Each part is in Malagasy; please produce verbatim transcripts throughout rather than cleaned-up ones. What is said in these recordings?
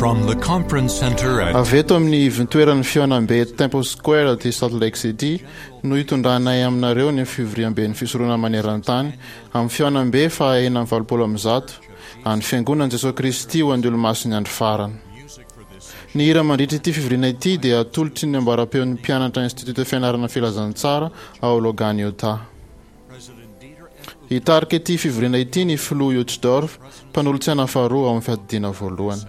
From the conference center at Avy eto amin'ny ivontoeran'ny fihaonambe eto Temple Square aty Salt Lake City no hitondranay aminareo ny fivoriamben'ny fisoronana maneran-tany amin'ny fihaonambe faha enina amby valopolo amby zato an'ny Fiangonan'i Jesoa Kristy ho an'ny Olomasin'ny Andro Farany. Ny hira mandritra ity fivoriana ity dia atolotry ny ambaram-peon'ny mpianatra Institut Fianarana Filazantsara ao Logan, Utah. Hitarika ity fivoriana ity ny filoha Uchtdorf, mpanolotsaina faharoa ao amin'ny fiadidiana voalohany.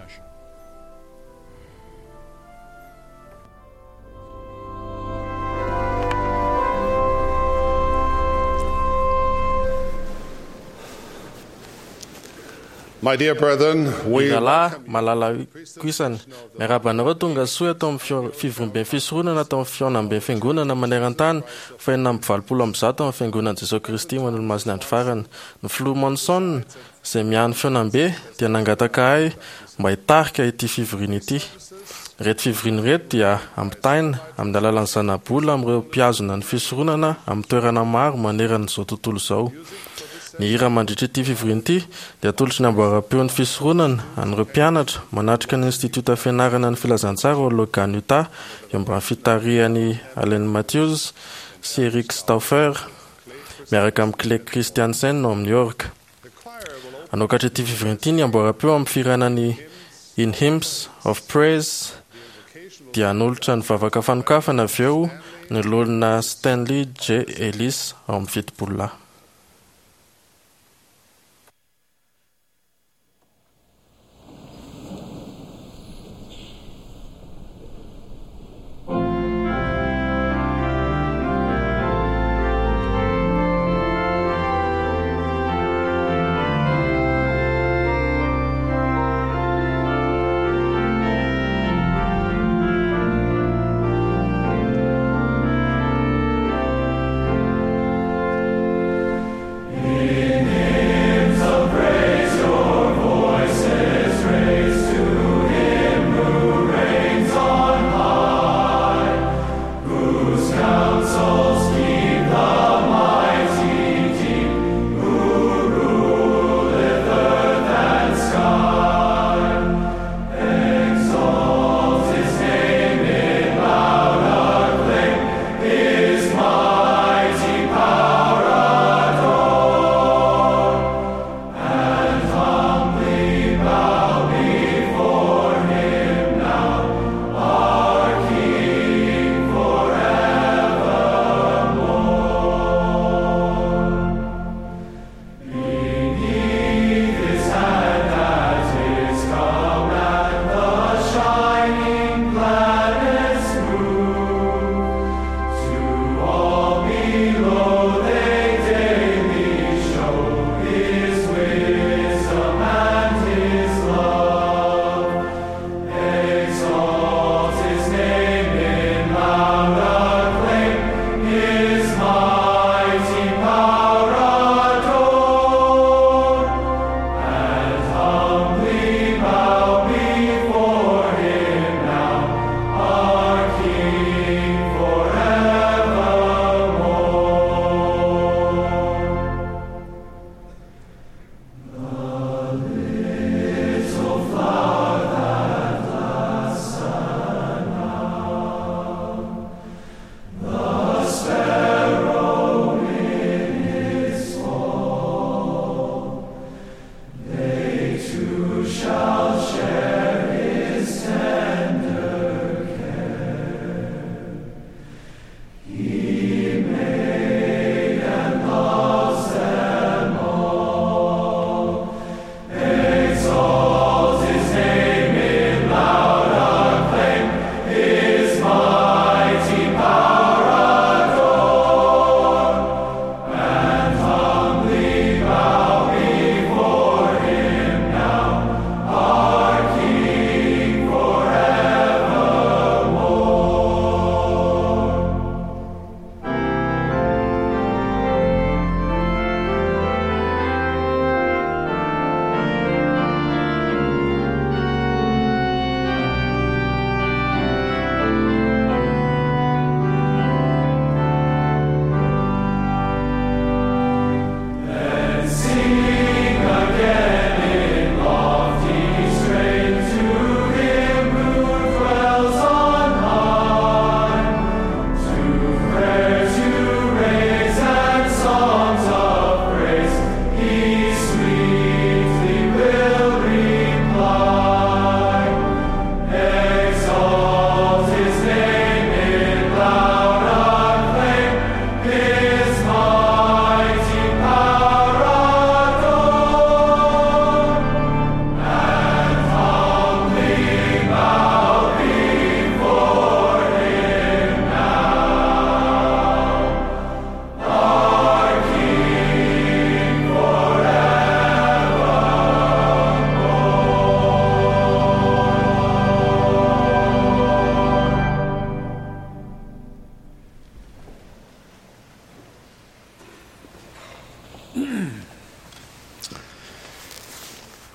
My dear brethren, we Ry rahalahy malala koisany, miarahaba anareo tonga soa eto amin'ny fio- fivoriamben'ny fisoronana atao amin'ny fihaonamben'ny fiangonana maneran-tany fahenina amby valopolo amby zato amin'ny fiangonan'i Jesoa Kristy ho an'ny Olomasin'ny Andro Farany. Ny filoha Monson, izay miahy ny fihaonambe, dia nangataka ahy mba hitarika ity fivoriana ity. Ireto fivoriana ireto dia ampitaina amin'ny alalan'ny zanabola amin'ireo mpihazona ny fisoronana amin'ny toerana maro manerana izao tontolo izao. Ny hira mandritra ity fivoriana ity dia atolotry ny amboaram-peon'ny fisoronana an'ireo mpianatra manatrika ny Institiota Fianarana ny Filazantsara ao Logan, Utah, eo ambany fitarihan'i Allen Matthews sy Eric Stauffer miaraka amin'i Clay Christiansen ao amin'ny York. Hanokatra ity fivoriana ity ny amboaram-peo amin'ny fihirana ny In Hymns of Praise dia hanolotra ny vavaka fanokafana avy eo ny loholona Stanley J. Ellis ao amin'ny fitopololahy.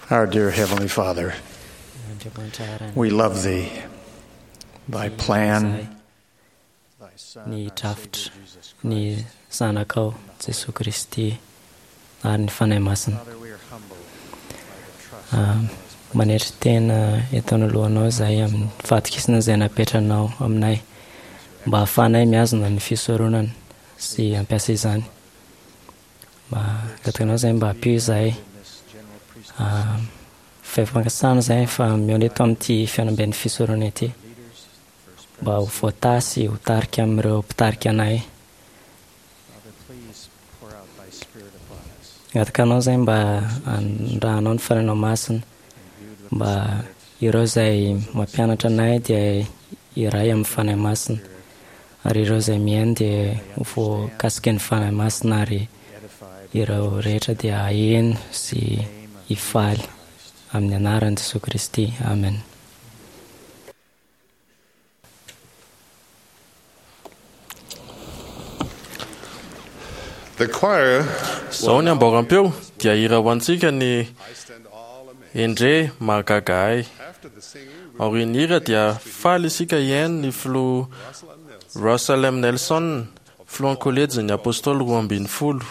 Our dear Heavenly Father, we love Thee, Thy plan, ny drafitra, ny Zanakao Jesoa Kristy ary ny Fanahy Masina. Manetry tena eto anoloanao izahay amin'ny fahatokisana izay napetranao aminay mba hahafahanay mihazona ny fisoronana sy hampiasa izany. Mba angatahinao izahay mba hampio izahay. Fahefankasana izahay fa mihaona eto amin'ity fihaonamben'ny fisoronana ity mba ho voatahy sy ho tarika amin'ireo mpitarika anay. Angataka anao izahay mba handrahanao ny Fanahinao Masina, mba ireo izay mampianatra anay dia iray amin'ny Fanahy Masina, ary ireo izay mihaino dia ho voakasiky ny Fanahy Masina, ary ireo rehetra dia haheno sy hifaly amin'ny anaran'i Jesoa Kristy. Amen. The choir Izao ny amboaram-peo dia hira ho antsika ny Endre mahagaga ahy. Aorian'ny hira dia faly isika hihaino ny filoha Russell M. Nelson, filohan'ny kolejin'ny apôstôly roa ambin'ny folo.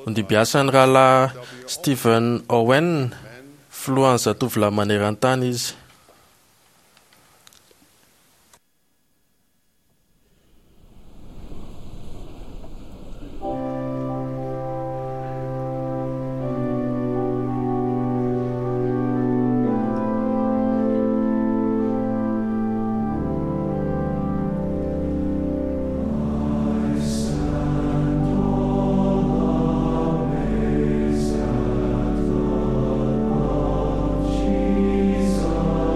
Nodimbiasan'ny rahalahy Stephen Owen, filohan'ny zatovolahy maneran-tany izy. Jesus.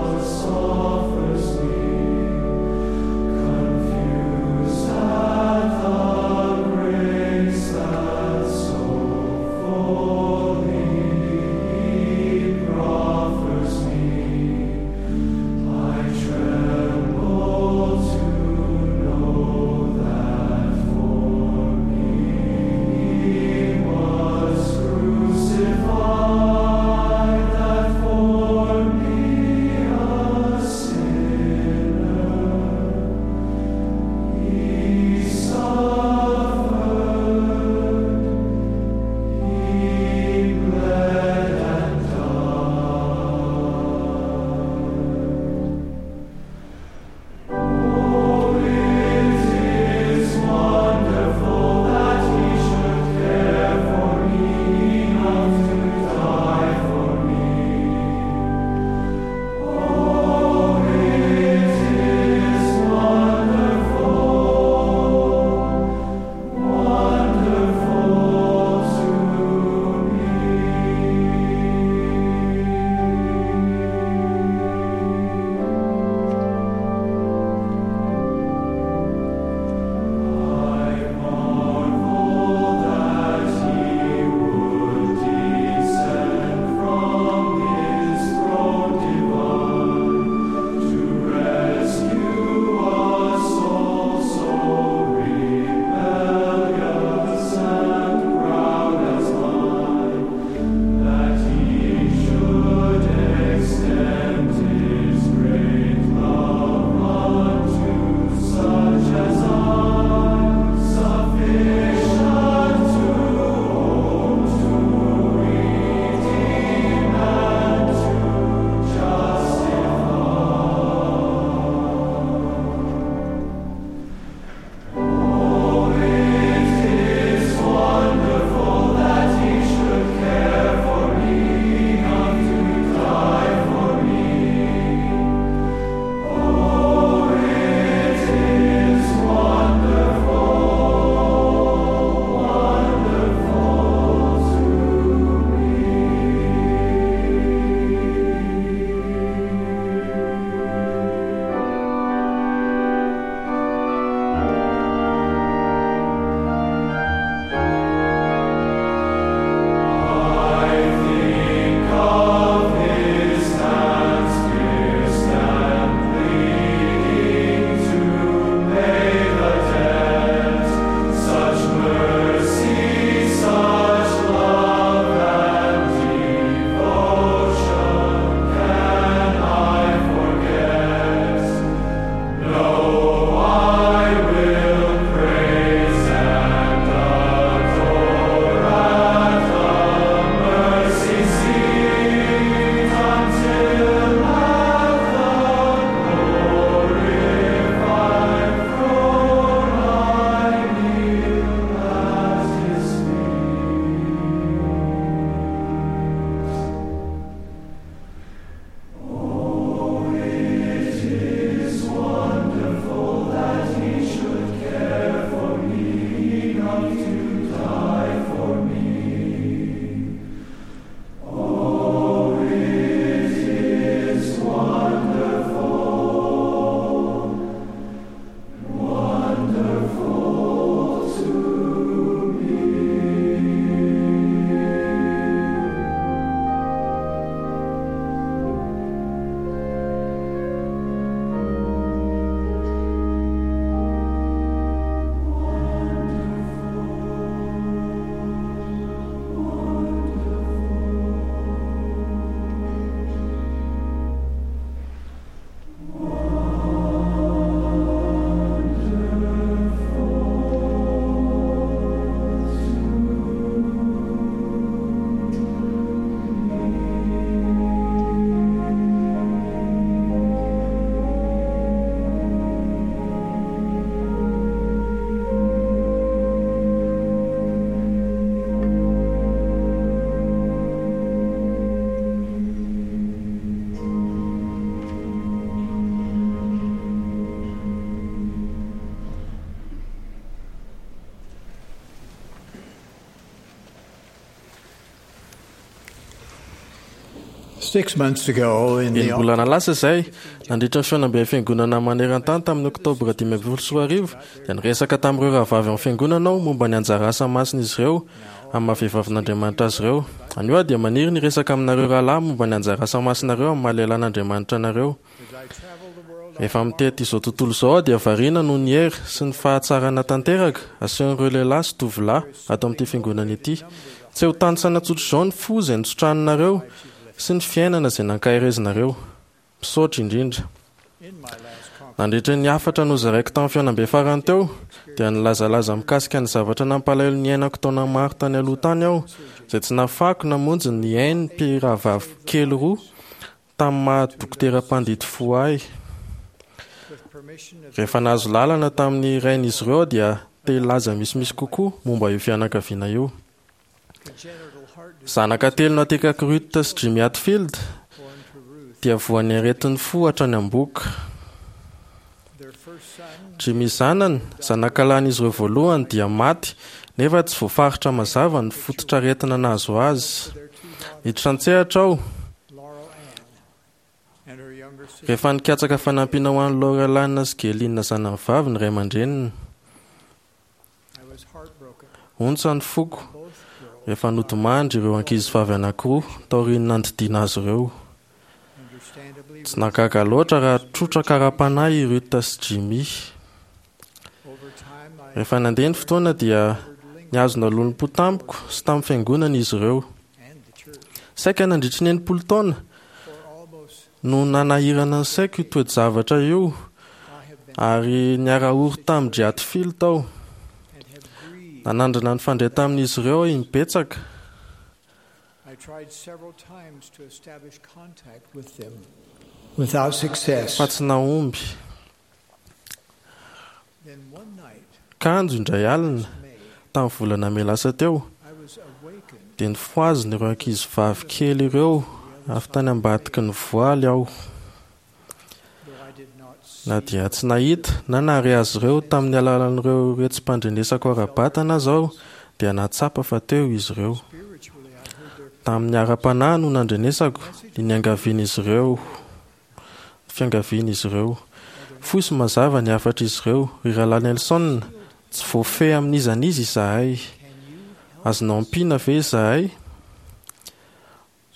Six months ago in the Enim-bolana lasa izay, nandritra ny fihaonamben'ny fiangonana maneran-tany tamin'ny oktobra dimy ambin'ny folo sy roa arivo, dia niresaka tamin'ireo rahavavy amin'ny fiangonana aho momba ny anjara asa masin'izy ireo amin'ny maha vehivavin'Andriamanitra azy ireo. Anio aho dia maniry ny hiresaka aminareo rahalahy momba ny anjara asa masinareo amin'ny maha lehilahin'Andriamanitra anareo. Rehefa mitety izao tontolo izao aho dia variana noho ny hery sy ny fahatsarana tanteraka asehon'ireo lehilahy sy tovolahy ato amin'ity fiangonana ity. Tsy ho tanisana tsotra izao ny fo izay nositranonareo sy ny fiainana izay nankaherezinareo. Misaotra indrindra. Nandritra ny hafatra nozaraiko tamin'ny fihaonambe farany teo, dia nilazalaza mikasika ny zavatra nampalahelo niainako taona maro tany aloha tany aho, izay tsy nahafahako namonjy ny ain'ny mpirahavavy kely roa tamin'ny maha dokotera mpandidy fo ahy. Rehefa nahazo lalana tamin'ny rain'izy ireo dia te hilaza misimisy kokoa momba io fianakaviana io. Zanaka telo naterak'i Ruth sy Jimmy Hatfield dia voan'ny aretin'ny fo hatrany am-bohoka. Jimmy zanany, zanakalahin'izy ireo voalohany, dia maty nefa tsy voafaritra mazava ny fototr'aretina nahazo azy. Niditra an-tsehatra aho rehefa nikatsaka fanampiana ho an'i Laura Lynn sy Gelina zanany vavy ny ray aman-dreniny. Ontsa ny foko rehefa nodimandry ireo ankizivavy anankiroa taorian'ny nandidiana azy ireo. Tsy nahagaga loatra raha trotraka ara-panahy i Ruth sy Jimmy. Rehefa nandeha ny fotoana dia nihazona lolompo tamiko sy tamin'ny fiangonana izy ireo. Saika nandritry ny enimpolo taona no nanahirana ny saiko io toe-javatra io, ary niara-ory tamin-dry Hatfield tao. Nanandrana nifandray tamin'izy ireo aho imbetsaka. I tried several times to establish contact with them without success. Fa tsy nahomby. Then one night, Kanjo indray alina, tamin'ny volana mey lasa teo, I was awakened dia nifohazina ireo ankizivavy kely ireo avy tany ambadiky ny voaly aho. though I did not see Na dia tsy nahita na nahare azy ireo tamin'ny alalan'ireo retsi-pandrenesako ara-batana aza aho, dia nahatsapa fa teo izy ireo. spiritually, I heard their Tamin'ny ara-panahy no nandrenesako ny niangavian'izy ireo, ny fiangavian'izy ireo. Fohy sy mazava ny hafatr'izy ireo, ry rahalahy Nelson, tsy voafehy amin'iza n'iza izahay. Azonao ampiana ve izahay?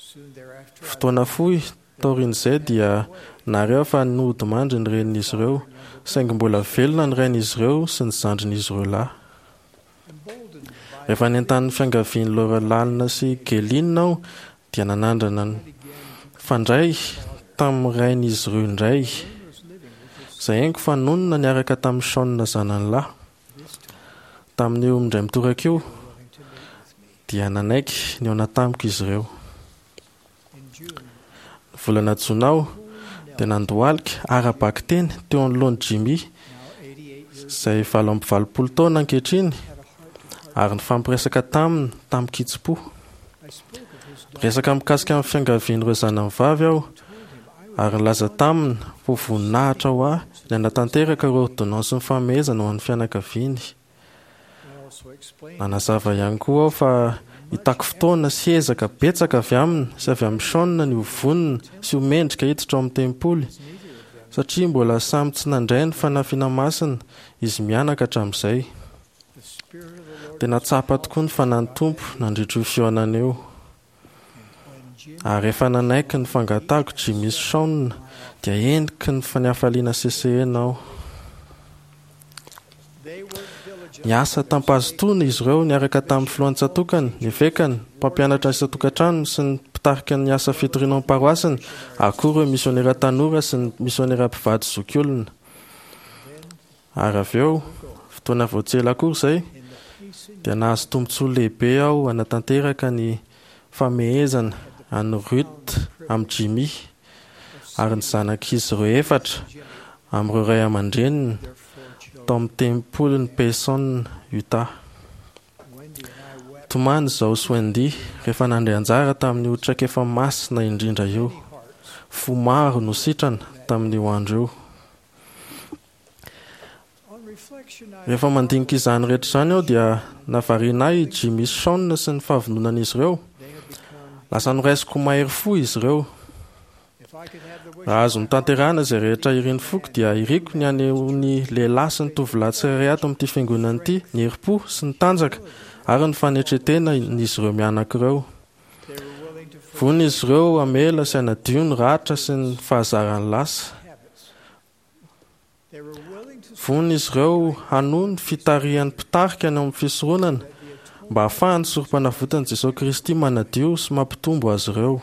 soon thereafter. I Fotoana fohy taorian'izay dia nahare aho fa nodimandry ny renin'izy ireo, saingy mbola velona ny rain'izy ireo sy ny zandrin'izy ireo lahy. emboldened by Rehefa nentanin'ny fiangavian'i Laura Lalina sy Gelina aho dia nanandrana nifandray tamin'ny rain'izy ireo indray, was living with his izay haiko fa nonina niaraka tamin'i Sean zanany lahy. this time Tamin'io indray mitoraka io willing to meet with me. dia nanaiky nihaona tamiko izy ireo. In June, Ny volana jona aho dia nandohalika ara-bakiteny teo anoloan'i Jimmy now eighty-eight years izay valo amby valopolo taona ankehitriny, had a heart-to-heart. ary nifampiresaka taminy tamin-kitsim-po. I spoke of his daughter, Resaka mikasika amin'ny fiangavian'ireo zanany vavy aho, told him I was ary nilaza taminy fa ho voninahitra ho ahy ny hanatanteraka ireo ordonnance ny famehezana ho an'ny fianakaviany. I also explained Nanazava ihany koa aho fa hitaky fotoana sy ezaka betsaka avy aminy sy avy amin'ny Sean ny ho vonona sy ho mendrika hiditra ao amin'ny tempoly, neither of them satria mbola samy tsy nandray ny fanafiana masina izy mianaka hatramin'izay. the Spirit of the Lord Tena tsapa tokoa ny fanahin'ny Tompo nandritra io fihaonana io. and when Jim Ary rehefa nanaiky ny fangatahako Jimmy sy Sean dia heniky ny fanafaliana sesehena aho. they worked diligently Niasa tam-pahazotoana izy ireo niaraka tamin'ny filohan'ny tsatokany, ny evekany, mpampianatra isan-tokantranony sy ny mpitarika ny asa fitoriana ao am-paroasiny, ary koa ireo misionera tanora sy ny misionera mpivady zokiolona. Ary avy eo, fotoana vao tsy ela akory izay, in the pacing dia nahazo tombontsoa lehibe aho hanatanteraka ny famehezana an'i Ruth amin'ny Jimmy ary ny zanak'izy ireo efatra amin'ireo ray aman-dreniny their four children. tao amin'ny tempolin'i Payson, Utah. Wendy and I wept Tomany izao sy Wendy rehefa nandray anjara tamin'io traikefa masina indrindra io. many hearts Fo maro no sitrana tamin'io andro io. On reflection, I Rehefa mandinika izany rehetra izany aho dia nahavariana ahy i Jimmy sy Sean sy ny fahavononan'izy ireo. they have become Lasa noraisiko mahery fo izy ireo. Raha azo notanterahina izay rehetra irin'ny foko dia iriko ny hanehoan'ny lehilahy sy ny tovolahy tsirairay ato amin'ity fiangonana ity ny herim-po sy ny tanjaka ary ny fanetren-tena izy ireo mianaka ireo. Vonona izy ireo hamela sy hanadio ny ratra sy ny fahazaran'ny lasa. Vonona izy ireo hanohy ny fitarihan'ny mpitarika any amin'ny fisoronana mba hahafahan'ny sorom-panavotan'i Jesosy Kristy manadio sy mampitombo azy ireo.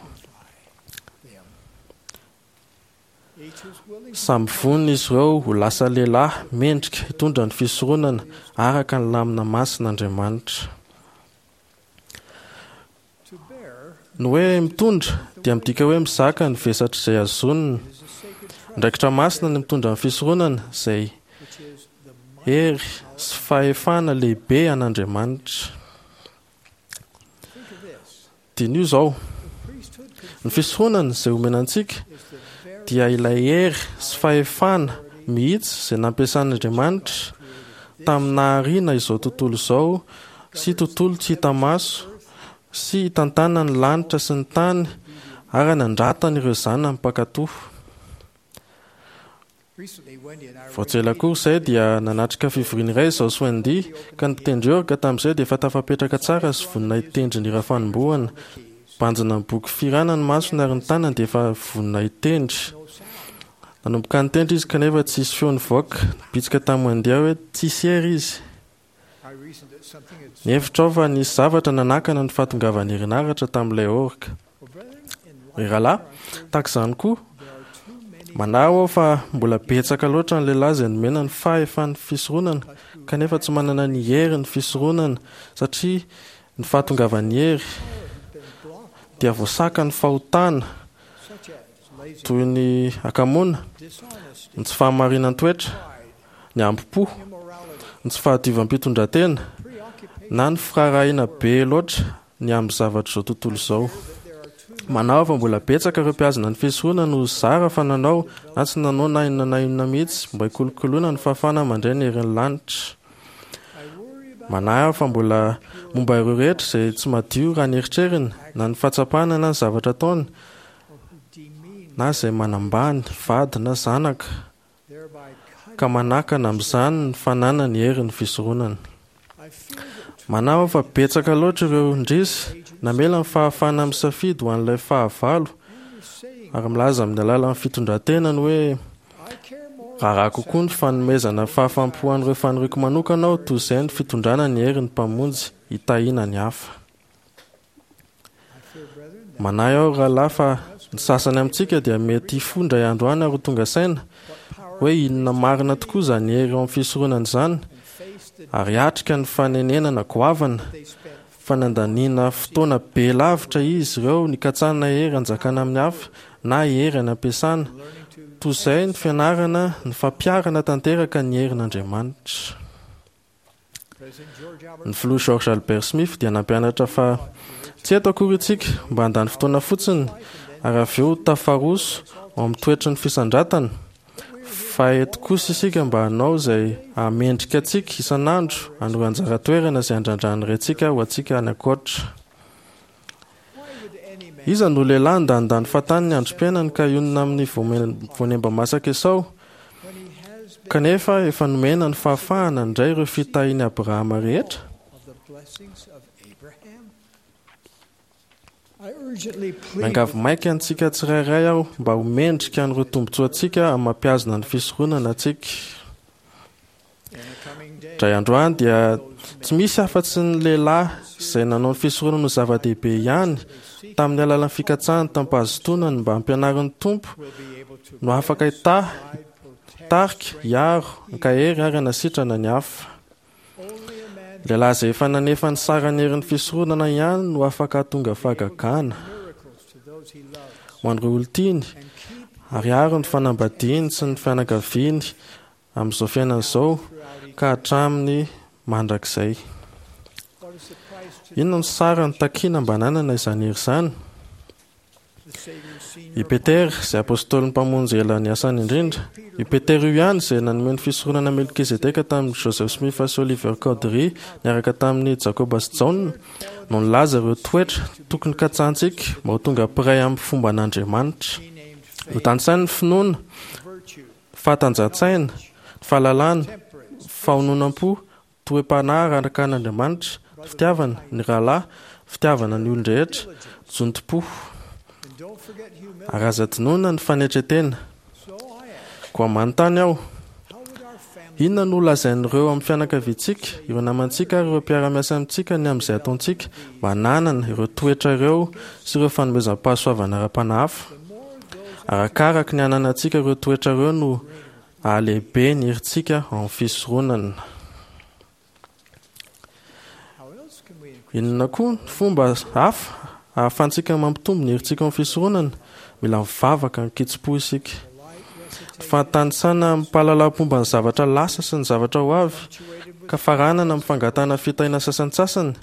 Samy vonona izy ireo ho lasa lehilahy mendrika hitondra ny fisoronana araka ny lamina masin'Andriamanitra. Ny hoe mitondra dia midika hoe mizaka ny vesatr'izay azonina. Andraikitra masina ny mitondra ny fisoronana izay hery sy fahefana lehibe an'Andriamanitra. Diniho izao, ny fisoronana izay omena antsika dia ilay hery sy fahefana mihitsy izay nampiasan'Andriamanitra tamin'ny nahariana izao tontolo izao sy tontolo tsy hita maso sy hitantana ny lanitra sy ny tany ary hanandratana ireo zanany mpankatò. Vao tsy ela akory izay dia nanatrika fivoriana iray izaho sy Wendy ka ny mpitendry orga tamin'izay dia efa tafapetraka tsara sy vonona hitendry ny hira fanombohana. Banjina ny boky fihirana ny masony ary ny tanany dia efa vonona hitendry. Nanomboka nitendry izy kanefa tsisy feo nivoaka. Nibitsika tamin'i Wendy aho hoe tsisy hery izy. Nihevitra aho fa nisy zavatra nanakana ny fahatongavan'ny herinaratra tamin'ilay orga. Ry rahalahy, tahaka izany koa, manahy aho fa mbola betsaka loatra ny lehilahy izay nomena ny fahefan'ny fisoronana kanefa tsy manana ny herin'ny fisoronana satria ny fahatongavan'ny hery dia voasaka ny fahotana toy ny hakamoana, ny tsy fahamarinan-toetra, ny hambom-po, ny tsy fahadiovam-pitondran-tena na ny firaharahiana be loatra ny amin'ny zavatr'izao tontolo izao. Manahy fa mbola betsaka ireo mpihazona ny fisoronana no zara fa nanao na tsy nanao na inona na inona mihitsy mba hikolokoloana ny fahafahana mandray ny herin'ny lanitra. Manahy aho fa mbola momba ireo rehetra izay tsy madio raha ny eritreriny na ny fahatsapana na ny zavatra ataony na izay manambany vady na zanaka ka manakana amin'izany ny fananany herin'ny fisoronana. Manahy aho fa betsaka loatra ireo indrisy namela ny fahafahana misafidy ho an'ilay fahavalo ary milaza amin'ny alalan'ny fitondran-tenany hoe raharaha kokoa ny fanomezana fahafaham-po an'ireo faniriako manokana aho toy izay ny fitondrana ny herin'ny mpamonjy hitahiana ny hafa. Manahy aho rahalahy fa ny sasany amintsika dia mety hifoha indray andro any ary ho tonga saina hoe inona marina tokoa izany hery ao amin'ny fisoronana izany ary hiatrika ny fanenenana goavana fa nandaniana fotoana be lavitra izy ireo nikatsahana hery hanjakana amin'ny hafa na hery any am-piasana toy izay ny fianarana ny fampiharana tanteraka ny herin'Andriamanitra. Ny filoha George Albert Smith dia nampianatra fa tsy eto akory isika mba handany fotoana fotsiny ary avy eo tafaroso ao amin'ny toetry ny fisandratana fa eto kosa isika mba hanao izay hahamendrika antsika isan'andro an'ireo anjara toerana izay andrandran'ny Raintsika ho antsika any ankoatra. Iza no lehilahy ndanindany fahatany ny androm-piainany ka hionona amin'ny voanemba masaka Esao, kanefa efa nomena ny fahafahana handray ireo fitahian'i Abrahama rehetra? Miangavy maika antsika tsirairay aho mba ho mendrika an'ireo tombontsoantsika amin'ny mampihazona ny fisoronana antsika. Indray andro any dia tsy misy afa-tsy ny lehilahy izay nanao ny fisoronana ho zava-dehibe ihany tamin'ny alalan'ny fikatsahany tamim-pahazotoana ny mba hampianarin'ny Tompo no afaka hitahy, hitarika, hiaro, hankahery ary hanasitrana ny hafa. Lehilahy izay efa nanefa ny saran'ny herin'ny fisoronana ihany no afaka hahatonga fahagagana ho an'ireo olon-tiany ary hiaro ny fanambadiany sy ny fianakaviany amin'izao fiainana izao ka hatramin'ny mandrakizay. Inona no sarany takiana mba hananana izany hery izany? I Petera, izay apôstôlin'ny Mpamonjy ela niasany indrindra, io Petera io ihany izay nanome ny fisoronana Melkizedeka tamin'i Joseph Smith sy Oliver Cowdery niaraka tamin'i Jakoba sy Jaona, no nilaza ireo toetra tokony katsahantsika mba ho tonga mpiray amin'ny fomban'Andriamanitra. Notanisainy ny finoana, fahatanjahan-tsaina, ny fahalalana, fahononam-po, toe-panahy araka an'Andriamanitra, ny fitiavana, ny rahalahy, fitiavana ny olon-drehetra, zotom-po. Ary aza adinoina ny fanetren-tena. Koa manontany aho, inona no lazain'ireo amin'ny fianakaviantsika, ireo namantsika ary ireo mpiara-miasa amintsika ny amin'izay ataontsika mba hananana ireo toetra ireo sy ireo fanomezam-pahasoavana ara-panahy hafa? Arakaraka ny hananantsika ireo toetra ireo no hahalehibe ny herintsika ao amin'ny fisoronana. Inona koa ny fomba hafa ahafahantsika mampitombo ny herintsika ao amin'ny fisoronana? Mila mivavaka amin-kitsim-po isika. Ny fahatanisana amim-pahalalam-pomba ny zavatra lasa sy ny zavatra ho avy, ka faranana amin'ny fangatahana fitahiana sasantsasany,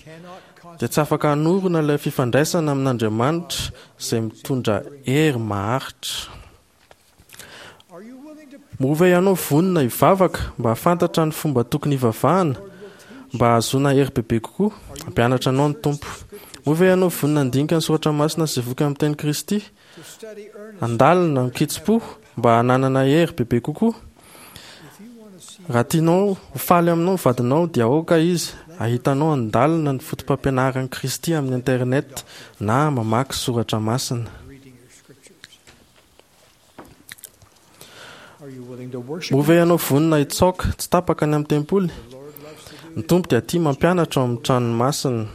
dia tsy afaka hanorina ilay fifandraisana amin'Andriamanitra izay mitondra hery maharitra. Moa ve ianao vonona hivavaka mba hahafantatra ny fomba tokony hivavahana mba hahazoana hery bebe kokoa? Hampianatra anao ny Tompo. Moa ve ianao vonona handinika ny soratra masina sy voky amin'ny teny Kristy? Handalina amin-kitsim-po mba hananana hery bebe kokoa? Raha tianao ho faly aminao ny vadinao dia aoka izy hahita anao handalina ny fotopampianaran'i Kristy amin'ny internet na mamaky soratra masina. Moa ve ianao vonona hitsaoka tsy tapaka any amin'ny tempoly? Ny Tompo dia tia mampianatra ao amin'ny tranony masina.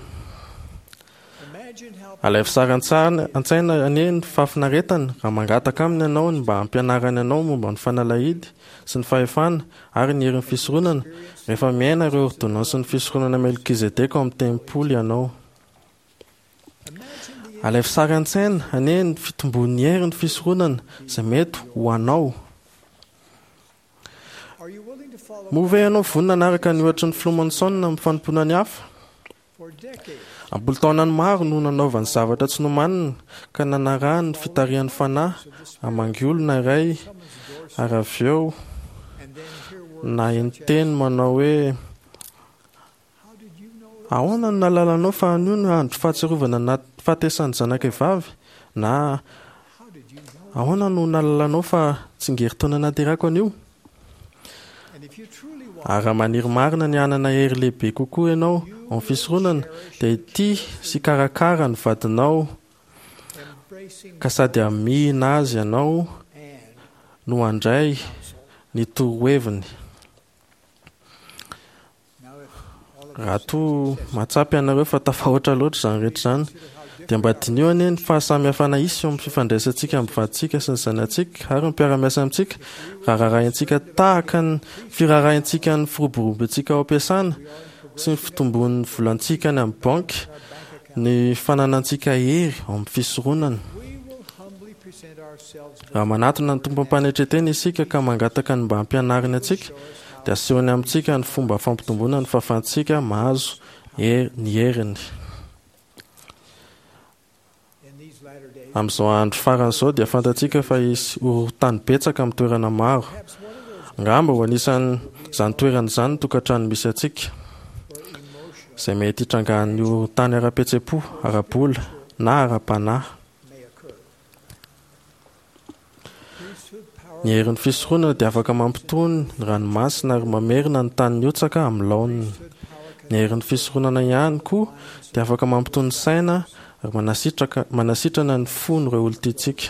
Alaivo sary an-tsaina anie ny fahafinaretany raha mangataka aminy ianao ny mba hampianarany anao momba ny fanalahidy sy ny fahefana ary ny herin'ny fisoronana rehefa miaina ireo ôrdônansin'ny fisoronana Melkizedeka ao amin'ny tempoly ianao. Alaivo sary an-tsaina anie ny fitombon'ny herin'ny fisoronana izay mety ho anao. Moa ve ianao vonona hanaraka ny ohatry ny Filoha Monson amin'ny fanompoana ny hafa? Am-polo-taonany maro no nanaovany zavatra tsy nomanina ka nanarahany ny fitarihan'ny fanahy hamangy olona iray ary avy eo naheno teny manao hoe Ahoana no nahalalanao fa anio no andro fahatsiarovana ny fahatesan'ny zanakay vavy? Na ahoana no nahalalanao fa tsingerin-taona nahaterahako anio? Ary raha maniry marina ny hanana hery lehibe kokoa ianao ao amin'ny fisoronana, dia hitia sy hikarakara ny vadinao ka sady hamihina azy ianao no handray ny toroheviny. Raha toa mahatsapa ianareo fa tafahoatra loatra izany rehetra izany, dia mba diniho anie ny fahasamihafana hisy eo amin'ny fifandraisantsika amin'ny vadintsika sy ny zanatsika ary ny mpiara-miasa amintsika raha rarahintsika tahaka ny firarahintsika ny firoborobontsika ao am-piasana sy ny fitombon'ny volantsika any amin'ny banky ny fananantsika hery ao amin'ny fisoronana. Raha manatona ny Tompo am-panetren-tena isika ka mangataka ny mba hampianariny antsika, dia asehony amintsika ny fomba fampitomboana ny fahafahantsika mahazo ny heriny. Amin'izao andro farany izao dia fantatsika fa hisy horohorontany betsaka amin'ny toerana maro. Angamba ho anisan'izany toerana izany ny tokantrano misy antsika, izay mety hitrangan'ny horohorontany ara-pihetseham-po, ara-bola na ara-panahy. Ny herin'ny fisoronana dia afaka mampitony ny ranomasina ary mamerina ny tany nihotsaka amin'ny laoniny. Ny herin'ny fisoronana ihany koa dia afaka mampitony ny saina ary manasitraka manasitrana ny fon'ireo olon-tiantsika.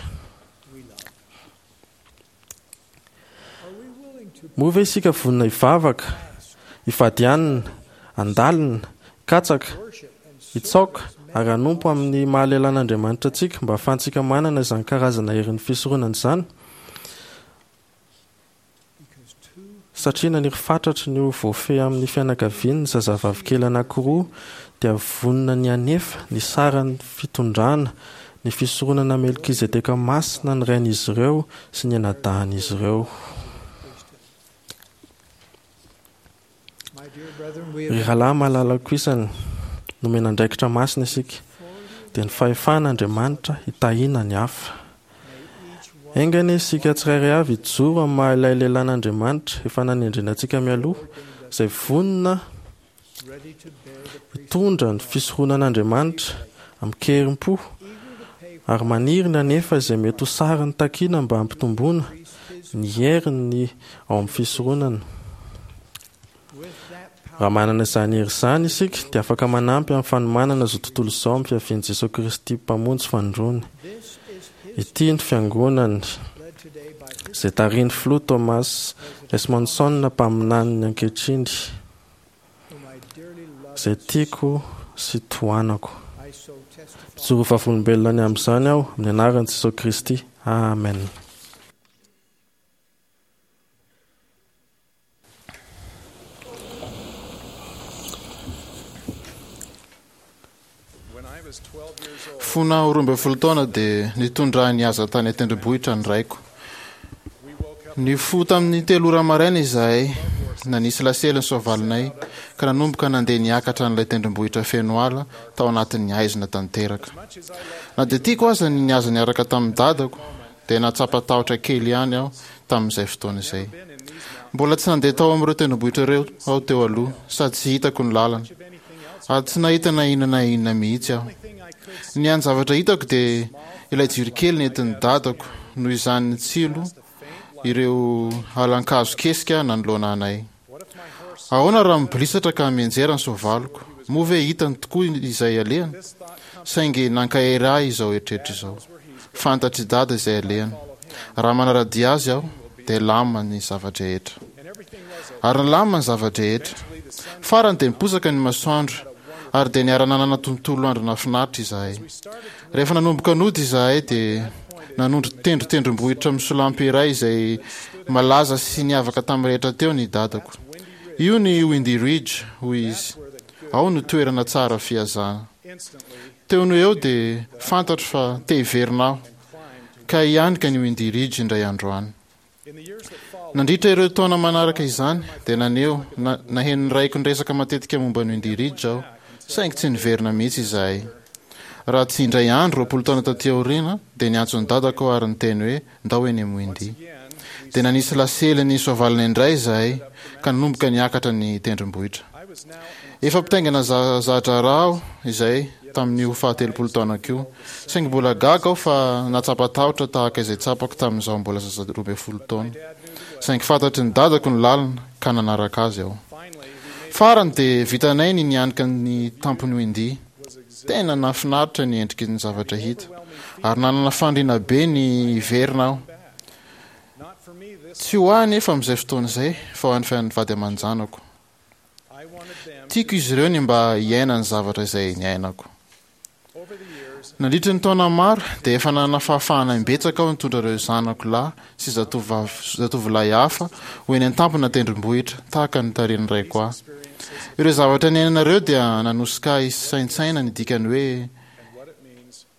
Moa ve isika vonona hivavaka, hifady hanina, handalina, hikatsaka, hitsaoka ary hanompo amin'ny maha lehilahin'Andriamanitra antsika mba hahafahantsika manana izany karazana herin'ny fisoronana izany? Satria naniry fatratra ny ho voafehy amin'ny fianakaviany ny zazavavikely anankiroa dia vonona ny hanefa ny saran'ny fitondrana ny fisoronana Melkizedeka masina ny rain'izy ireo sy ny anadahin'izy ireo. Ry rahalahy malalako isany, nomena andraikitra masina isika, dia ny fahefan'Andriamanitra hitahiana ny hafa. Enga anie isika tsirairay avy hijoro amin'ny maha ilay lehilahin'Andriamanitra efa nanendrena antsika mialoha, izay vonona hitondra ny fisoronan'Andriamanitra amin-kerim-po, Ary maniry ny hanefa izay mety ho sarany takiana mba hampitomboana ny heriny ao amin'ny fisoronana. Raha manana izany hery izany isika dia afaka manampy amin'ny fanomanana izao tontolo izao amin'ny fiavian'i Jesoa Kristy Mpamonjy fanindroany. Ity ny fiangonany izay tarihin'ny filoha Thomas S. Monson, mpaminaniny ankehitriny, izay tiako sy tohanako. Mijoro vavolombelona ny amin'izany aho amin'ny anaran'i Jesoa Kristy. Amen. Fony aho roa ambin'ny folo taona dia nitondra ahy nihaza tany an-tendrombohitra ny raiko. Nifoha tamin'ny telo ora maraina izahay, nanisy lasely ny soavalinay, ka nanomboka nandeha niakatra an'ilay tendrombohitra feno ala tao anatin'ny haizina tanteraka. Na dia tiako aza ny nihaza niaraka tamin'ny dadako, dia nahatsapa tahotra kely ihany aho tamin'izay fotoana izay. Mbola tsy nandeha tao amin'ireo tendrombohitra ireo aho teo aloha, sady tsy hitako ny lalana. Ary tsy nahita na inona na inona mihitsy aho. Ny hany zavatra hitako dia ilay jiro kely nentin'ny dadako noho izany nitsilo ireo alan-kazo kesika nanoloana anay. Ahoana raha mibolisatra ka mianjera ny soavaliko? Moa ve hitany tokoa izay alehany? Saingy nankahery ahy izao eritreritra izao. Fantatr'i dada izay alehany. Raha manara-dia azy aho, dia lamina ny zava-drehetra. Ary nilamina ny zava-drehetra. Farany dia niposaka ny masoandro, ary dia niara-nanana tontolo andro nahafinaritra izahay. Rehefa nanomboka nody izahay, dia nanondro tendrotendrombohitra misolampy iray izay malaza sy niavaka tamin'ny rehetra teo ny dadako. Io ny Windy Ridge, hoy izy. Ao no toerana tsara fihazana. Teo no eo dia fantatro fa te hiverina aho, ka hianika ny Windy Ridge indray andro any. Nandritra ireo taona manaraka izany, dia naneho na, naheno ny raiko niresaka matetika momba ny Windy Ridge aho, saingy tsy niverina mihitsy izahay. Raha tsy indray andro, roapolo taona taty aoriana, dia niantso ny dadako aho ary niteny hoe ndao eny amin'ny Windy. Dia nanisy lasely ny soavalana indray izahay, ka nanomboka niakatra ny tendrombohitra. Efa mpitaingina za-draharaha aho izay tamin'io fahatelopolo taonako io, saingy mbola gaga aho fa nahatsapa tahotra tahaka izay tsapako tamin'izaho mbola zaza roa ambin'ny folo taona. Saingy fantatry ny dadako ny lalana, ka nanaraka azy aho. Farany dia vitanay ny nianika ny tampon'i Windy. Tena nahafinaritra ny endriky ny zavatra hita, ary nanana faniriana be ny hiverina aho. Tsy ho ahy anefa amin'izay fotoana izay, fa ho an'ny vady aman-janako. Tiako izy ireo ny mba hiaina ny zavatra izay niainako. Nandritra ny taona maro dia efa nanana fahafahana imbetsaka aho nitondra ireo zanako lahy sy zatovolahy hafa ho eny an-tampona tendrombohitra, tahaka ny tarihin'ny raiko ahy. Ireo zavatra niainana ireo dia nanosika ahy hisaintsaina ny dikany hoe